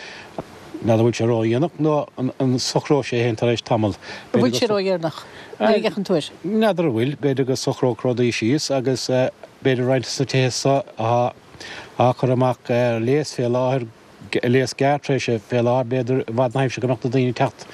N'fheadar an bhfuil sé ródhéanach nó an socróidh sé féin tar éis tamall. An bhfuil sé ródhéanach nuair a fhéachann tú air? N'fheadar an bhfuil. B'fhéidir go socródh rudaí síos agus b'fhéidir roinnt des na tithe so atá á cur amach ar léas fé láthair, léas gearrtréimhse fé láthair, b'fhéidir i bhfad na haimsire go mbeadh na daoine ag teacht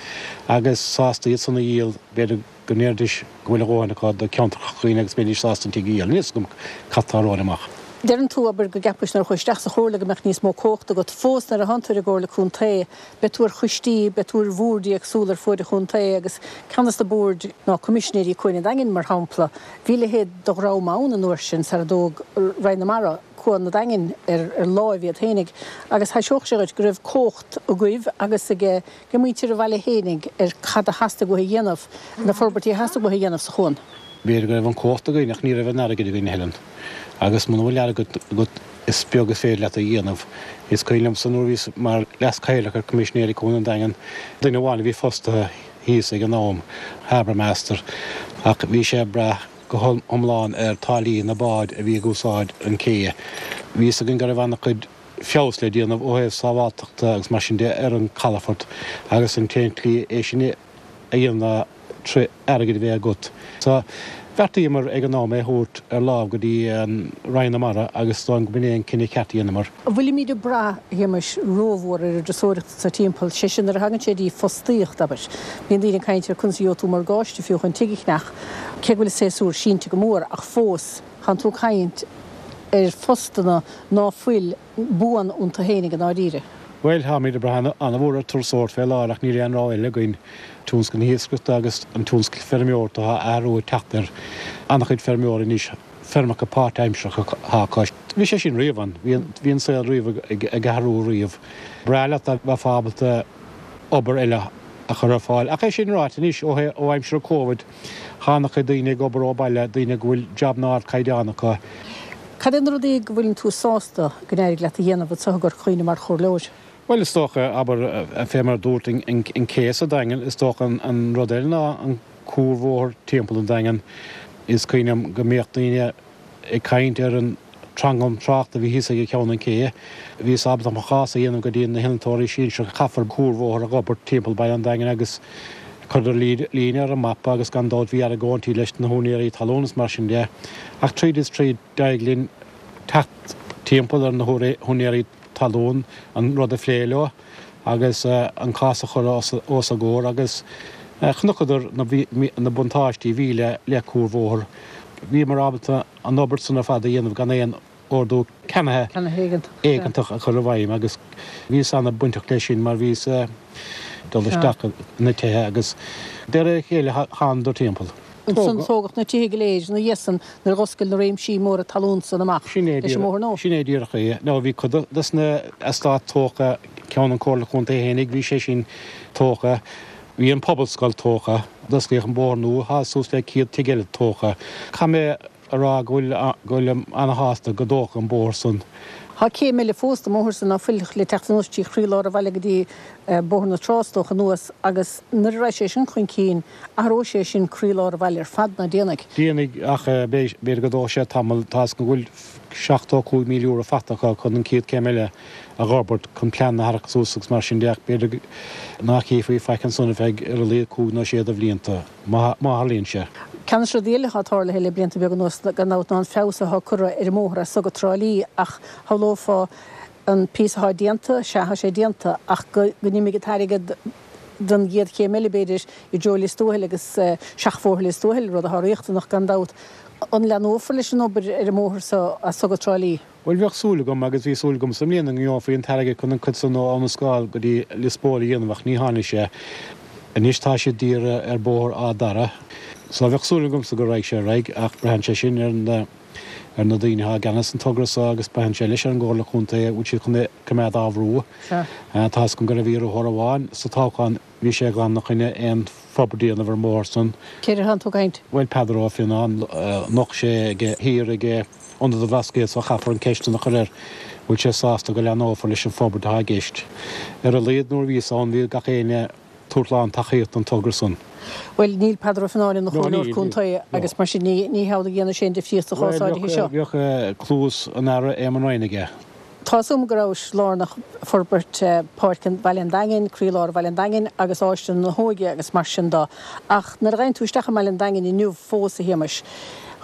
agus sásta iad san a dhíol, b'fhéidir. go ndéarfaidís go bhfuil a dhóthain acu do cheantar Chorca Dhuibhne agus mbeidís sásta an tigh a dhíol. Níl 'fhios agam cad tá romhainn amach. Deireann tú, abair, go gceapais nuair a chuaigh isteach sa chomhairle go mbeadh níos mó cumhachta agat. Fós nuair a thánn tú ar an gcomhairle contae, beidh tú ar choistí, beidh tú ar bhoird éagsúla ar fuaid an chontae agus ceann des na boird ná Coimisinéirí Cuan an Daingin, mar shampla. Bhí a leithéid de dhream ann an uair sin sara dtóg Roinn na Mara Cuan an Daingin ar láimh iad fhéinig agus thaiseodh sé dhuit go raibh cumhacht agaibh agus ag ag muintir an bhaile fhéinig ar cad a theastaigh uathu a dhéanamh, na forbairtí a theastaigh uathu a dhéanamh sa chuan. B'fhéidir go raibh an cumhacht againn ach ní raibh an airgead againn a Helen. Agus muna bhfuil airgead agat is beag is féidir leat a dhéanamh. Is cuimhin liomsa nuair a bhíos mar Leas-Chathaoirleach ar Coimisinéirí Cuan an Daingin, duine amháin a bhí fostaithe thíos ag an am, Harbour Master, ach bhí sé ag brath go hiomlán ar táillí na bád a bhí ag úsáid an cé. Bhí fhios againn go raibh an-chuid feabhas le déanamh ó thaobh sábháltachta agus mar sin de ar an calafort agus an t-aon tslí é sin a dhéanamh ná tré airgead a bheith agat. So, bheartaíomar ag an am é a thabhairt ar lámh go dtí an Roinn na Mara agus is dóigh liom go b'in é an cinneadh ceart a dheineamar. An bhfuilimíd ag brath, a Shéamais, rómhór ar an dturasóireacht anso timpeall, sé sin nuair a thagann sé dtí fostaíocht, abair. Bíonn daoine ag caint ar conas a gheobhaidh tú morgáiste fiú chun tigh a cheannach, cé go bhfuil an séasúr sínte go mór, ach fós, Tánn tú ag caint ar phostanna ná fuil buan iontu fhéinig i ndáiríre. Bhuel, táimid ag brath an-mhór ar turasóireacht fé láthair ach níl aon rogha eile againn. Tionscal na hiascaireachta agus an tionscal feirmeoireachta tá athrú ag teacht ar an-chuid feirmeoirí anois, feirmeacha páirtaimseartha atá acu. Bhí sé sin riamh ann, bhí an saol riamh ag athrú riamh. Breá leat dá mbeifeá ábalta obair eile a. a chur ar fáil. Ach é sin ráite anois, ó ó aimsir Covid, thá ana-chuid daoine ag obair ó baile, daoine go bhfuil jabanna ardchaighdeán acu. Cad é na rudaí go bhfuileann tú sásta go n-éirigh leat a dhéanamh anseo i gCorca Dhuibhne mar chomhairleoir? Bhuel, is dócha, abair, fé mar a dúirt, an cé sa Daingean, is dócha an rud eile ná an cuarbhóthar timpeall an Daingean. Is cuimhin liom go mbíodh daoine ag caint ar an tranglam tráchta a bhí thíos ag ceann an ché. Bhíos ábalta mo chás a dhéanamh go dtí na hinnealtóirí sinsearacha caithfear cuarbhóthar a dh'fhorbairt timpeall baile an Daingin agus chuireadar líne ar an mapa agus gan dabht bhí argóintí leis na húinéirí talún is mar sin de. Ach tríd is tríd d'éirigh linn teacht timpeall ar na húinéirí talún an rud a phlé leo agus an cás a chur os a gcomhair agus chonaiceadar na buntáistí a bhí le cuarbhóthar. Bhíomar ábalta an obair san ar fad a dhéanamh gan aon ordú ceannaithe éigeantach a chur i bhfeidhm agus bhíos ana-bainteach leis sin mar bhíos ag dul isteach na tithe agus de réir a chéile thánadar timpeall. Ansan tógadh na tithe go léir ina dhiaidh san nuair a dh'oscail na réimsí móra talún san amach leis an mbóthar nua. Sin é díreach é. Now bhí cuid dos na eastáit tógtha, ceann an Comhairle Contae fhéinig, bhí sé sin tógtha, bhí an Pobalscoil tógtha, d'osclaíodh an bóthar nua, thá suas le 100 tigh eile tógtha. Caithfidh mé a rá go bhfuil, go bhfuilim ana-shásta go dtógadh an bóthar san. Thá céim eile fós den mbóthar san ná fuil le teacht anuas trí chroílár an bhaile go dtí Bóthar na Trá is dócha anuas agus nuair a raghaidh sé sin chun cinn athróidh sé sin croílár an bhaile ar fad, ná déanfaidh? Déanfaidh, ach b'fhéidir go dtógfaidh sé tamall. Tá 'fhios agam go bhfuil €75,000 faighte acu chun an chéad chéim eile a dh'fhorbairt, chun plean a tharrac suas agus mar sin de, ach b'fhéidir nach chífí faic ansan ar feadh ar a laghad cúig nó sé de bhlianta, má tharlaíonn sé. Ceann de na rudaí eile atá tarlaithe le blianta beaga anuas, gan dabht, ná an feabhas atá curtha ar an mbóthar as so go Trá Lí ach shamhlófá an píosa atá déanta, sea, tá sé déanta, ach go n-imigh an t-airgead don gcéad chéim eile, b'fhéidir, i dtreo Lios Tuathail agus seachbhóthar Lios Tuathail, rud atá riachtanach gan dabht. An leathnófar leis an obair ar an mbóthar so as so go Trá Lí? Bhuel, bheadh súil agam, agus bhí súil agamsa i mbliana, go ngeofaí an t-airgead chun an cuid san ó Abhainn an Scáil go dtí Lios Póil a dhéanamh ach ní tháinig sé. Anois tá siad d'iarraidh ar bóthar Áth Dara. So bheadh súil agamsa go raghaidh sé ar aghaidh ach braitheann sé sin ar na ar na daoine atá i gceannas an togra so agus braitheann sé leis ar an gComhairle Contae an bhfuil siad chun é coimeád á bhrú. Tá 'fhios agam go raibh iarrthóir amháin sa toghchán, bhí sé glan ina choinne aon forbairt a dhéanamh ar an mbóthar san. Cé atá tú ag caint? Bhuel, Peadar Ó Fionnáin, nocht sé ag thiar ag Ionad an Bhlascaoid so caithfear an ceist san a chur air, bhfuil sé sásta go leathnófar leis an forbairt atá i gceist. Ar a laghad nuair a bhíos ann bhí gach éinne tabhairt lán tacaíocht don togra san. Bhuel, níl Peadar Ó Fionnáin ina chomhairleoir contae agus mar sin ní hamhlaidh a dhéanfaidh sé aon difríocht sa chás áirithe seo. Bhuel, bheadh cluas an Aire Éamon Ryan aige. Tá 'fhios a'm go rabhais lárnach i bhforbairt Páirc Bhaile an Daingin, croílár Bhaile an Daingin agus Áislann na hÓige agus mar sin de. Ach nuair a ghabhann tú isteach i mBaile an Daingin inniu fós, a Shéamais,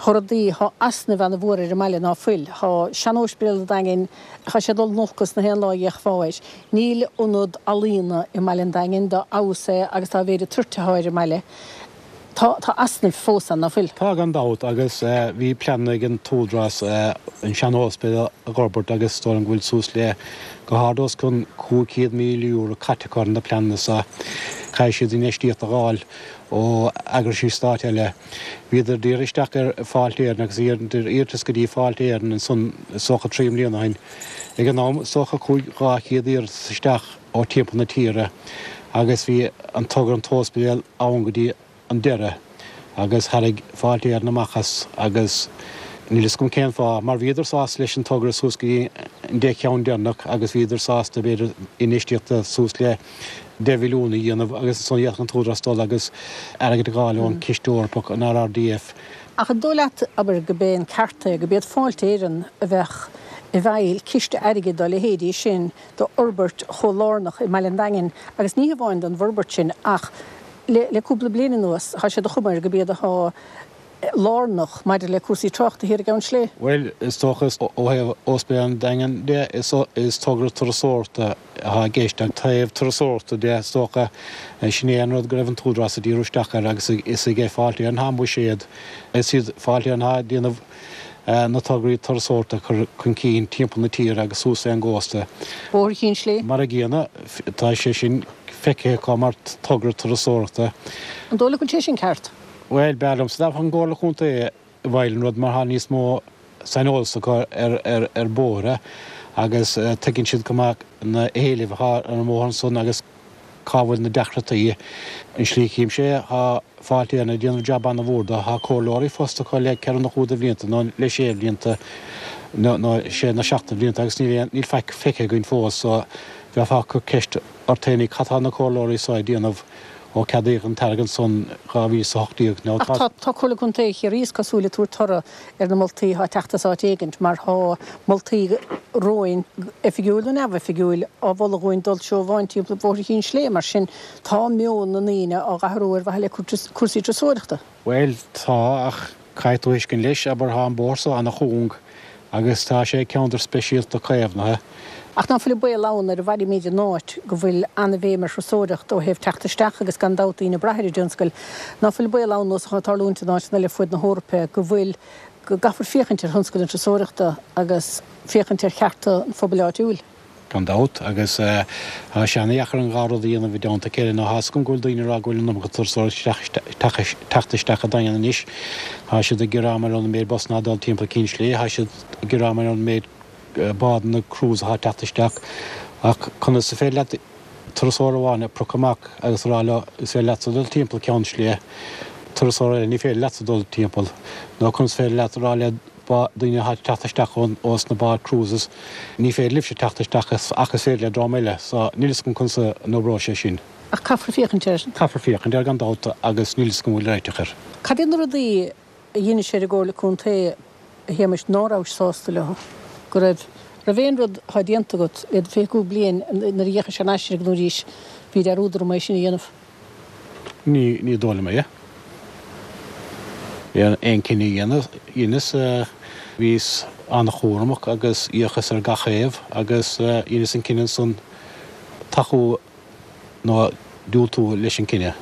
thá rudaí, thá easnaimh ana mhór ar an mbaile ná fuil. Thá sean-óispidéal an Daingin, thá sé ag dul in olcas na haon lá a d'fhéachfá air. Níl ionad ealaíona i mBaile an Daingin dá fheabhas é agus dá mhéid an toirt athá ar an mbaile. Tá, tá easnaimh fós ann, ná fuil? Tá gan dabht, agus bhí pleananna ag an t-údarás an sean-óispidéal a dh'fhorbairt agus is dóigh liom go bhfuil suas le go hard os cionn €500,000 caite acu ar na pleananna so. Caithfidh siad infheistíocht a dh'fháil ó eagraisí stáit eile. Bhíodar d'iarraidh isteach ar Fáilte Éireann agus dheineadar iarratas go dtí Fáilte Éireann ansan is dócha trí mbliana ó shin. Ag an am is dócha chuaigh 200 iarratas isteach ó timpeall na tíre agus bhí an togra an t-óispidéal ann go dtí an deireadh agus tharraing Fáilte Éireann amach as agus níl fhios agam cén fáth mar bhíodar sásta leis an togra suas go dtí an 10 cheann deireanach agus bhíodar sásta b'fhéidir infheistíocht suas le 10 mhilliún a dhéanamh agus ansan d'fhéadfadh an t-údarás dul agus airgead a dh'fháil ón Chiste Eorpach, an RRDF. Ach an dóigh leat, abair, go b'é an ceart é, go b'iad Fáilte Éireann a bheadh i bhfeighil ciste airgid dá leithéidí sin d'fhorbairt chomh lárnach i mBaile an Daingin agus ní hamháin don bhforbairt sin ach le le cúpla bliain anuas tá sé de chuma air go b'iad athá lárnach maidir le cúrsaí tráchta thiar i gCeann Slé. Bhuel, is dócha ó thaobh Ospidéal an Daingin de, is togra turasóireachta atá i gceist. An taobh turasóireachta de, is dócha, sin é an rud go raibh an t-údarás ag díriú isteach air agus is ag Fáilte Éireann atá an buiséad. Is iad Fáilte Éireann atá ag déanamh na tograí turasóireachta a chur chun cinn timpeall na tíre agus suas ar an gcósta. Bóthar Chinn Slé. Mar a gcéanna, tá sé sin feicthe acu mar togra turasóireachta. An dóigh leat go bhfuil sé sin ceart? Bhuel, b'fhearr liomsa dá mbeadh an gComhairle Contae i bhfeighil an rud mar tá níos mó saineolas acu ar bhóithre agus tuigeann siad go maith na héilimh atá ar an mbóthar ansan agus. cá bhfuil na deacrachtaí. An slí a chímse é, tá Fáilte Éireann ag déanamh jab ana-mhór do. Tá comhairleoirí fostaithe acu le ceithre nó cúig de bhlianta nó le sé bhlianta nó sé nó seacht de bhlianta agus níl aon, níl faic feicthe againn fós so bheifeá ag cur ceist ort fhéinig cad tá na comhairleoirí so ag déanamh ó ceadaíodh an t-airgead san 2018 nó Ach tá. tá Comhairle Contae Chiarraí is cosúil ag tabhairt toradh ar na moltaí atá ag teacht as áit éigint mar tá moltaí romhainn, oifigiúil nó neamhoifigiúil, á mholadh dhúinn dul seó amháin timpeall Bhóthar Chinn Slé mar sin tá meon na ndaoine á dh'athrú ar mhaithe le cúrsaí turasóireachta. Bhuel, tá, ach caithfidh tú thuiscint leis, abair, tá an bóthar so ana-chúng agus tá sé i gceantar speisialta caomhnaithe. Ach ná fuil an baol ann nuair a mhairimid in áit go bhfuil ana-bhéim ar thurasóireacht ó thaobh teacht isteach agus gan dabht daoine ag brath ar an dtionscal, ná fuil an baol ann nós atá ag tarlúint in áiteanna eile fuaid na hEorpa go bhfuil, go gcaithfear féachaint ar thionscal na turasóireachta agus féachaint ar chearta an phobail áitiúil? Gan dabht, agus tá sé ana-dheacair an dhá rud a dhéanamh i dteannta a chéile. Now tá 'fhios agam go bhfuil daoine ag rá go bhfuil an iomarca turasóirí ag teacht isteach an Daingean anois. Tá siad ag gearán mar gheall ar an méid busanna atá ag dul timpeall Cinn Sléibhe, tá siad ag gearán mar gheall ar an méid bádanna cruise atá ag teacht isteach. Ach conas is féidir leat turasóir amháin a phiocadh amach agus a rá leo is féidir leatsa dul timpeall Ceann Sléibhe, turasóir eile ní féidir leatsa dul timpeall? Nó conas is féidir leat a rá le daoine atá ag teacht isteach ós na báid cruises, ní féidir libhse teacht isteach ach is féidir le dream eile, so níl 'fhios agam conas a n-oibreoidh sé sin. Ach caithfear féachaint air. Caithfear féachaint air gan dabht agus níl 'fhios agam an bhfuil réiteach air. Cad iad na rudaí a dheinis ar an gComhairle Contae, a Shéamais, ná rabhais sásta leo? Go raibh, raibh aon rud atá déanta agat le 25 bliain nuair a d'fhéachais thar n-ais air arís, bhí dearúd orm é sin a dhéanamh? Ní, ní dóigh liom é. Aon cinneadh a dheineas, bhíos an-chúramach agus d'fhéachas ar gach thaobh agus dheineas an cinneadh ansan tacú nó diúltú leis an cinneadh.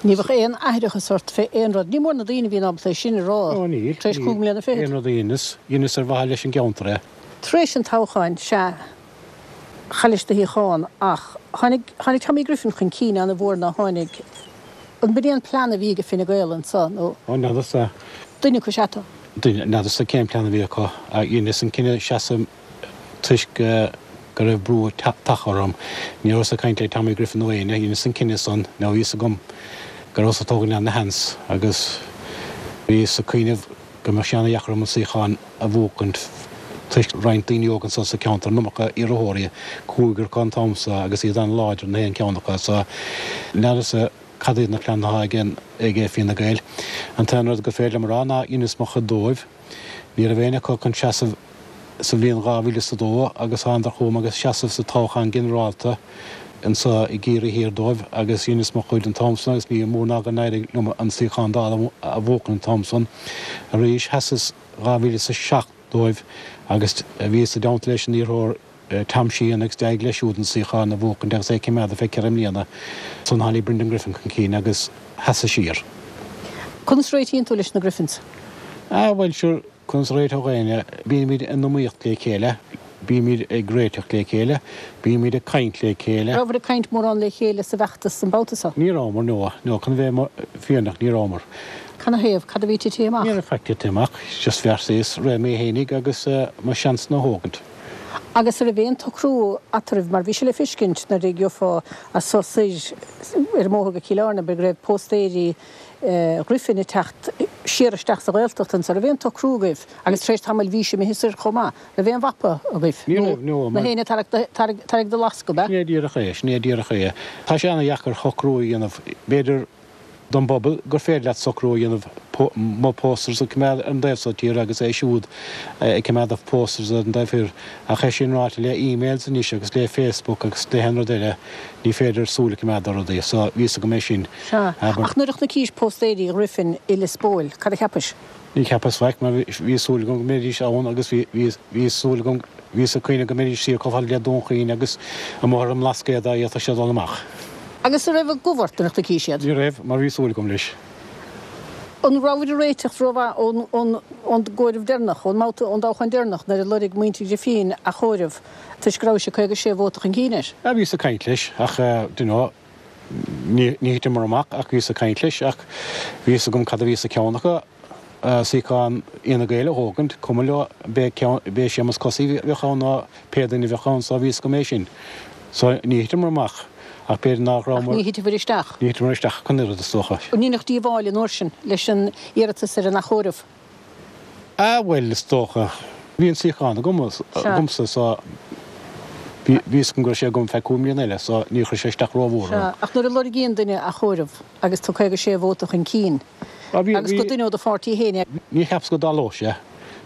Ní bheadh aon aithreachas ort fé aon rud. Ní mór na daoine a bhíonn ábalta é sin a rá Ó níl, tar éis níl. cúig mbliana fichead. Aon rud a dheineas, dheineas ar mhaithe leis an gceantar é. Tar éis an toghcháin, sea, Chaillis do shuíochán ach tháinig, tháinig Tommy Griffin chun cinn ana-mhór ná tháinig, an b'in é an plean a bhí ag Fine Gael anso nó? Ó, n'fheadarsa. Duine acu is ea tú. Duine, n'fheadarsa cén plean a bhí acu. Dheineas an cinneadh seasamh toisc go raibh brú tagtha orm. Ní rabhas ag caint le Tommy Griffin nó éinne, dheineas an cinneadh san, now bhí fhios agam go rabhas ag tógaint ana-sheans agus bhíos ag cuimhneamh go mbeadh sé ana-dheacair orm an suíochán a bhuachaint toisc roinnt daoine óga anso sa cheantar, an iomarca iarrthóirí, cúigear acu an t-am so agus iad an-láidir na haon ceann acu so n'fheadarsa cad iad na pleananna atá ag ag Fianna Gael. An t-aon rud gur féidir liom a rá ná dheineas mo chuid dóibh. Ní raibh éinne acu chun seasamh sa bhliain 2002 agus thánadar chugam agus seasamh sa toghchán ginearálta anso i gCiarraí Thiar dóibh agus dheineas mo chuid an t-am san agus ní mór ná go n-éirigh liom an suíochán Dála a bhuachan an t-am san. Arís sheasas 2007 dóibh agus bhíos i dteannta leis an iarrthóir Tom Sheehan agus d'éirigh leis siúd an suíochán a bhuachaint agus é ag coimeád ar feadh ceithre mbliana. Ansan tháinig Brendan Griffin chun cinn agus sheasas siar. Conas a réitíonn tú leis na Griffins? Ah bhuel sure, conas a réiteodh éinne? Bímid in iomaíocht le chéile, bímid ag réiteach le chéile, bímid ag caint le chéile. Rabhabhair ag caint mórán le chéile sa bhfeachtas an babhta seo? Ní rabhamar, no, no, chun bheith fírinneach, ní rabhamar. Canathaobh? Cad a bhí tite amach? Ní raibh faic tite amach, just bheartaíos rith mé fhéinig agus mo sheansanna a thógaint. Agus an raibh aon tsocrú eatarthu, mar bhí sé le feiscint nuair a gheofá as so soir ar an mbóthar go Cill Airne, go raibh póstaeirí Ghriffin ag teacht siar isteach sa Ghaeltacht anso, raibh aon tsocrú agaibh, agus tar éis tamaill bhís imithe soir chomh maith, raibh aon mhapa agaibh? Ní raibh, no, mar. Na héinne tarraig do lasc, ab ea? Sin é díreach é, sin é díreach é. Tá sé ana-dheacair socrú a dhéanamh, b'fhéidir, don bpobal gur féidir leat socrú a dhéanamh mo posters a choimeád ar an dtaobh seo tíre agus é siúd ag coimeád a posters ar an dtaobh thoir ach é sin ráite le emails anois agus le Facebook agus le haon rud eile ní féidir súil a choimeád ar rudaí so bhí fhios agam é sin. Sea, ach nuair a chonaicis póstaeirí Ghriffin i Lios Póil, cad a cheapais? Ní cheapas faic mar bhí súil agam go mbeidís ann agus bhí súil agam, bhíos ag cuimhneamh go mbeidís siar chomh fada le Dún Chaoin agus amuigh ar an mBlascaod dá bhféadfadh sé dul amach. Agus an raibh gomh ort nuair a chonaicis iad? Ní raibh, mar bhí súil agam leis. An rabhabhair ag réiteach rómhaith ón gcomhaireamh deireanach, ón mbabhta, ón dtoghchán deireanach nuair a loirg muintir Ghrifín athchomhaireamh toisc go rabhais 56 vóta chun cinn air? Bhíos ag caint leis ach, do you know, Ní thiteamar amach ach bhíos ag caint leis ach bhí fhios agam cad a bhí sa cheann acu, suíochán Fhine Gael a thógaint, cuma leo b'é b'é Séamus Cosaí a bheadh ann nó pé duine a bheadh ann so bhí fhios agam é sin. So ní thiteamar amach. Ach b'fhéidir nach rabhamar. Ach ní thiteabhair isteach. Ní thiteamar isteach ach an oiread, is dócha. An ndéanfadh díobháil an uair sin leis an iarratas ar an athchomhaireamh? Ah, bhuel, is dócha. Bhí an suíochán agam, agamsa, so bhí fhios agam go raibh sé agam feadh 5 mbliana eile, so níor chuir sé isteach rómhór orm. Sea, ach nuair a lorgaíonn duine athchomhaireamh agus tú 56 vóta chun cinn, agus gur duine ó do pháirtí féin é. Ní cheapas go dtarlódh sé,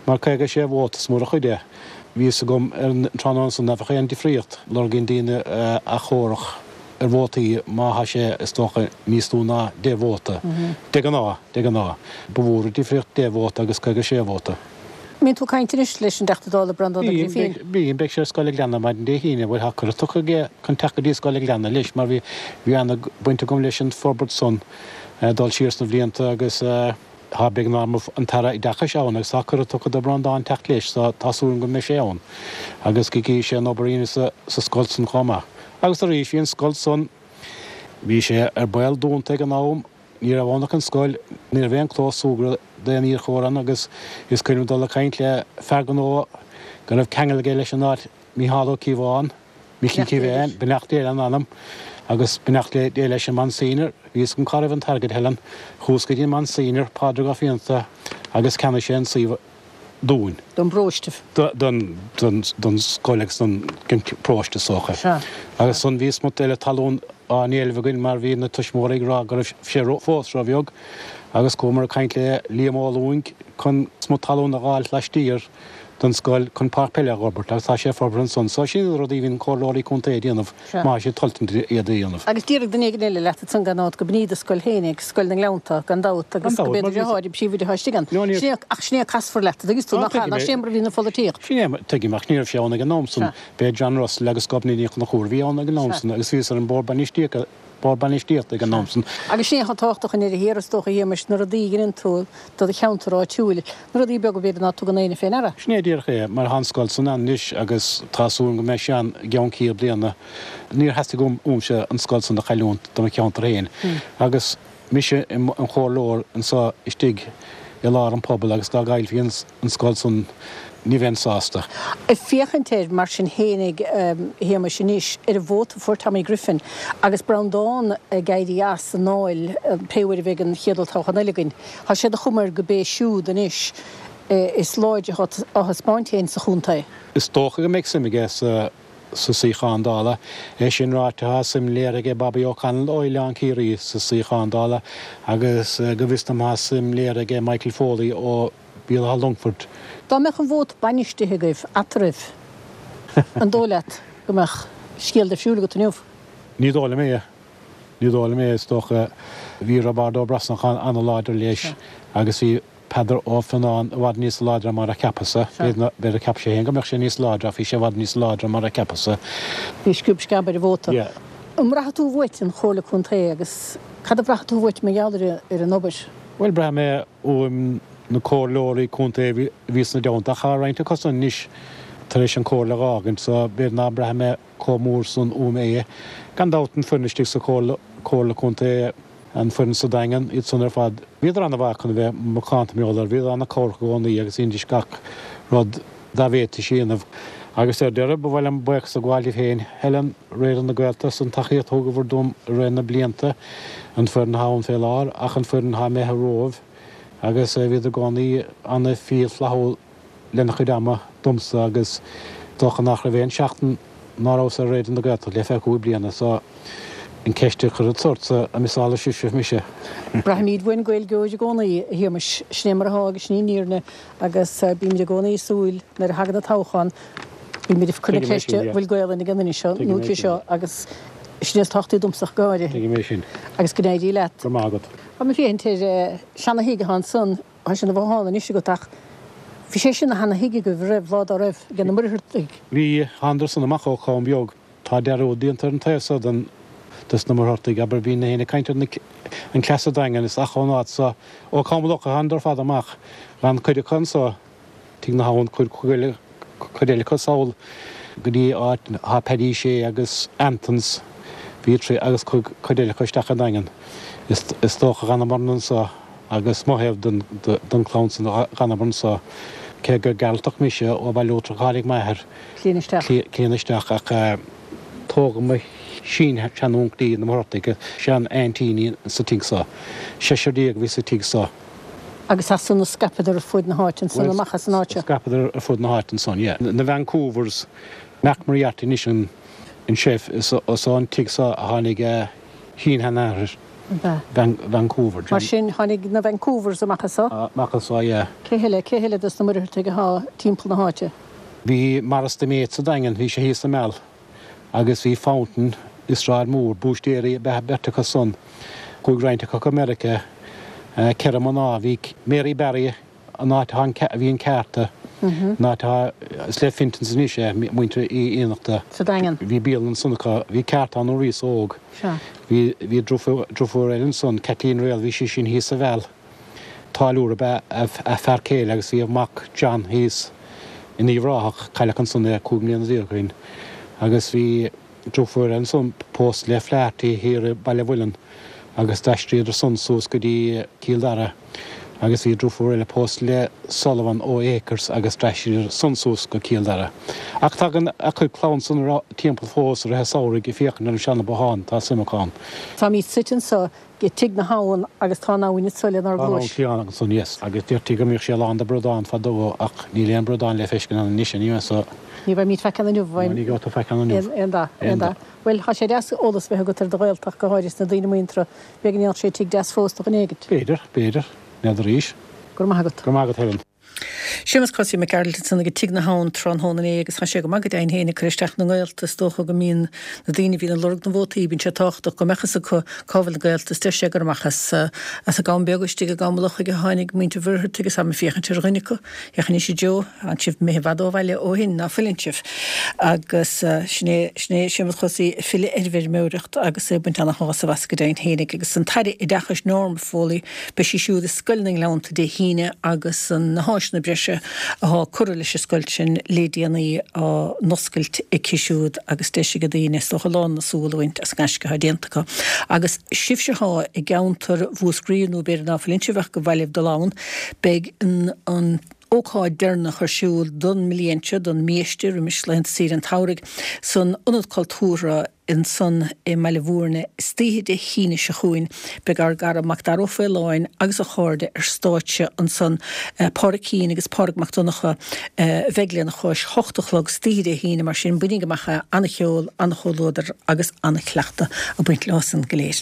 mar 56 vóta is mór an chuid é. Bhí fhios agam ar an tráthnóna san nach bheadh aon difríocht. Lorgaíonn daoine athchomhaireamh ar vótaí má thá sé, is dócha, níos lú ná 10 vóta. De ghnáth, de ghnáth. Ba mhór an difríocht 10 vóta agus 56 vóta. Mbíonn tú ag caint anois leis an dTeachta Dála Breandán Ó Grifín? Bíonn, bíonn. Beidh sé ar Scoil an Ghleanna maidin Dé hAoine. Bhuel, tá cuireadh tugtha aige chun teacht go dtí Scoil an Ghleanna leis mar bhí, bhí ana-bhaint agam leis an forbairt san, dul siar sna bhlianta agus tá beagnach an tAire Oideachais ann agus tá cuireadh tugtha do Breandán teacht leis so tá súil agam go mbeidh sé ann agus go gcífidh sé an obair a dhéanamh sa, sa scoil san chomh maith. Agus arís, bhí an scoil san, bhí sé ar baol dúnta ag an am, Ní raibh ann ach an scoil, ní raibh aon chlós súgartha d'aon iarrthóir ann agus is cuimhin liom dul ag caint le fear gnó go raibh ceangal aige leis an áit, Micheál Ó Cíobháin, Micí Kevane, beannacht Dé lena anam agus beannacht Dé leis an Monsignor. Bhí fhios agam cá raibh an t-airgead, Helen. Chuas go dtí an Monsignor, Pádraig Ó Fiannachta, agus cheannaigh sé an suíomh dúinn. Don bparóiste. Don scoil agus don bparóiste is dócha. Sea. Agus ansan bhí smut eile talún á n-éileamh againn mar bhí na tuismitheoirí ag rá go raibh sé fós róbheag agus chuamar ag caint le Liam Ó Lúing chun smut talún a dh'fháil laistiar den scoil chun páirc peile a dh'fhorbairt agus tá sé forbartha ansan. So sin iad na rudaí a bhíonn comhairleoirí contae ag déanamh. Má tá siad toilteanach iad a dhéanamh. Agus déarfaidh duine éigin eile leat ansan gan dabht go b'in í do scoil féinig, Scoil na nGleannta, gan dabht, agus go b'é do dheartháir an príomhoide atá istigh ann. Sin é, ach sin é casfar leat, an dtuigeann tú, nach ea, nach sin é mar a bhíonn an pholaitíocht. Sin é, tuigim, ach ní raibh sé ann ag an am san. B'é John Russell agus Gobnait Ní Chonchúir a bhí ann ag an am san agus bhíos ar an bord bainistíochta, bord bainistíochta ag an am san. Agus sin é atá tábhachtach i ndeireadh thiar, is dócha, a Shéamais, na rudaí a dheineann tú do do cheantar áitiúil, na rudaí beaga b'fhéidir ná tugann éinne fé ndeara. Sin é díreach é, mar tá an scoil san ann anois agus tá súil agam go mbeidh sé ann i gceann 100 bliana. Níor theastaigh uaimse an scoil san a chailliúint do mo cheantar féin agus mise i mo chomhairleoir anso istigh i lár an phobail agus dá gcaillfí an scoil san ní bheinn sásta. Ag féachaint air mar sin fhéinig, a Shéamais, anois, ar an vóta a fuair Tommy Griffin agus Breandán ag éirí as an nDáil pé uair a bheidh an chéad olltoghchán eile againn, tá sé de chuma air go b'é siúd anois is láidre atá á thaispeáint féin sa chontae. Is dócha go mbeidh suim aige sa suíochán Dála. É sin ráite, tá suim léirithe aige Bobby O'Connell ó Oileán Ciarraí sa suíochán Dála agus go bhfios dom tá suim léirithe aige Michael Foley ó Bhéal Átha Longfoirt. Dá mbeadh an vóta bainistithe agaibh eatarthu, an dóigh leat go mbeadh scéal difriúil agat inniu? Ní dóigh liom é. Ní dóigh liom é. Is dócha. Bhí Roibeárd Ó Brosnacháin an-láidir leis agus bhí Peadar Ó Fionnáin i bhfad níos láidre mar a cheapas-sa. B'fhéidir cheap sé féin go mbeadh sé níos láidre ach bhí sé i bhfad níos láidre mar a cheapas-sa. Bhí sciob sceab ar an vóta. An mbraithfidh tú uait an Chomhairle Contae agus cad a bhraithfidh tú uait mar gheall ar an obair? Bhuel, braithfidh mé uaim na comhairleoirí contae a bhí sna dteannta ach tá roinnt acu san anois tar éis an chomhairle a dh'fhágaint so b'fhéidir ná braithfidh mé chomh mór san uaim é. Gan dabht an foireann istigh sa chomhairle, comhairle contae, an foireann sa Daingean, iad san ar fad, bhíodar ana-mhaith chun a bheith macánta mar gheall air, bhíodar ana-chabhrach i gcónaí agus dheinidís gach rud dá bhféadfaidís a dhéanamh. Agus ar deireadh, ba mhaith liom buíochas a ghabháil libh féin, Helen, Raidió na Gaeltachta, as an tacaíocht a thugabhair dom i rith na blianta, an foireann atá ann fé láthair ach an foireann atá imithe romhaibh agus bhíodar i gcónaí ana-fhial flaithiúil lena chuid ama domsa agus dócha nach raibh aon seachtain ná rabhas ar Raidió na Gaeltachta le feadh 5 bliana so an ceist a chuireas ortsa an miseálfaidh sibhse mise. Braithimid uainn Gaeilgeoir i gcónaí, a Shéamais. Sin é mar atá agus sin í an fhírinne agus bímid i gcónaí ag súil nuair a thagann an toghchán, bímid ag cur na ceiste an bhfuil Gaelainn ag an duine seo nó aici seo agus sin é is tábhachtaí domsa ach go háirithe. Tuigim é sin. Agus go n-éirí leat. Go raibh maith agat. Tá mé ag féachaint ar seana-thigh atá ansan. Tá sé ina bhothán anois agat ach bhí sé sin ina sheana-thigh agaibh roimh, lá dá raibh, ag na Muircheartaigh. Bhí, thánadar san amach ó Chom Beag. Tá dearúd déanta ar an taobh so den, des na Muircheartaigh, abair, bhínn féin ag caint ar na, an cleas sa Daingean is ach ón áit so, ó Chom Locha thánadar ar fad amach, d'fhan cuid acu anso, Tigh na hAbhann, chuaigh cuid eile acu sall go dtí áit thá Paddy Shea agus Antons, bhí trí, agus chuaigh cuid eile acu isteach i nDaingean. Is dócha dh'fhanamar anso agus mo thaobh den chlann san dh'fhanamar anso, cé gur Gearaltach mise ó Bhaile Uachtarach a tháinig m'athair Cliana isteach. Cliana isteach ach tógadh mo. sin-seanúnclaí na Muircheartaigh, sean-aintíní sa tigh so. Seisear a bhí sa tigh so. Agus as san a scaipeadar ar fuaid na háite ansan, amach as an áit seo? Scaipeadar ar fuaid na háite ansan, yeah. Na Vancouvers, Mac Moriarty anois an chef, is ón tigh so a tháinig a shin-sheanathair, Vancouver. Mar sin, tháinig na Vancouvers amach as so? Amach as so, yeah. Cé heile, cé heile dos na Muircheartaigh athá timpeall na háite? Bhí Maurice de Mate sa Daingean, bhí sé thíos sa Meal. Agus bhí Fountain i Sráid Mór, búistéirí ab ea beirt acu san. Chuaigh roinnt acu go Meiriceá. 4 mná, bhí Mary Barry, an áit a bhí an ceárta, an áit atá, is le Fintons anois é, muintir Uí Fhiannachta. Sa Daingean. Bhí bialann ansan acu. Bhí ceárta ann nuair a bhíos óg. Sea. Bhí, bhí driofúr, driofúr eile ansan, Kathleen Riel, bhí sí sin thíos sa Mheal. Táilliúir ab ea a fear céile agus bhí a mac John thíos in Uíbh Ráthach, cailleadh ansan é 15 mbliana ó shin, agus bhí driofúr eile ansan pósta le Flaherty thiar i Baile Mhuilinn agus d'aistríodar san suas go dtí Cill Dara agus bhí driofúr eile pósta le Sullivan ó Acres agus d'aistríodar san suas go Cill Dara. Ach tagann a cuid clann san timpeall fós i rith an samhraidh ag féachaint ar an seana bothán, tá suim acu ann. Táimid suite anso i dTigh na hAbhann agus tá an abhainn anso lenár Tá an gcluais. abhainn ansan, yes. Agus deirtí go mbíodh sé lán de bhradáin fadó ach níl aon bradán le feiscint ann anois anyway so. Ní bheimid faic ann inniu, No, ní gheobhaidh tú faic ann inniu. Aon dath, aon dath. Bhuel, tá sé deas eolas a bheith agat ar do Ghaeltacht, go háirid sna daoine muinteartha. B'fhéidir go ndéanfadh sé tigh deas fós do dhuine éigint. B'fhéidir, b'fhéidir. N'fheadar arís. Go raibh maith agat. Go raibh maith agat, Helen. Séamus Cosaí Mac Gearailt ansan ag Tigh na hAbhann tráthnóna inné agus tá sé go maith go deimhin féin ag cur isteach na ngaolta. Is dócha go mbíonn na daoine a bhíonn ag lorg na vótaí, bíonn sé tábhachtach go mbeadh fhios acu cá bhfuil na gaolta is deir sé gur amach as as an gCam Beag istigh i gCam Lochaigh a tháinig muintir Mhuircheartaigh agus táim ag féachaint ar dhuine acu. Féach anois a Joe, tánn sibh imithe i bhfad ó bhaile ó shin, ná fuileann sibh? Agus sin é, sin é Séamus Chosaí ag filleadh ar an bhfeirmeoireacht agus é ag baint ana-shásamh as go deimhin féinig. Agus an tAire Oideachais Norma Foley, Beidh sí siúd i Scoil na nGleannta Dé hAoine agus na háiseanna breise athá curtha leis an scoil sin le déanaí á n-oscailt aici siúd agus deis ag daoine is dócha lán na súl a bhaint as an ngaisce athá déanta acu. Agus sibhse athá i gceantar Mhúscraí nó b'fhéidir ná fuileann sibh ach gur mhaith libh dul ann, beidh an ócáid deireanach ar siúl don mbliain seo, don mbiaiste, roimis laethanta saoire an tsamhraidh, san Ionad Cultúrtha. ansan i mBaile Bhúirne istoíche Dé hAoine seo chugainn. Beidh ár gcara Macdara Ó Faoláin agus a chairde ar stáitse ansan. Pádraig Keane agus Pádraig Mac Donncha a bheidh lena chois, 8 a chlog istoíche Dé hAoine, mar sin bainíg amach é, ana-cheol, ana-chomhluadar agus ana-chleachtadh ag baint leo san go léir.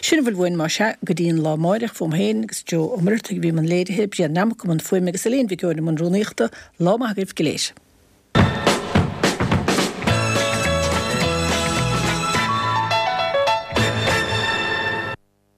Sin a bhfuil uainn más ea go dtí an lá amáireach, fúm féin agus Joe Ó Muircheartaigh a bhí i mbun léirithe, Brian Nammock i mbun fuaime agus Elaine Mhic Eoin i mbun rúnaíochta. Lá maith agaibh go léir.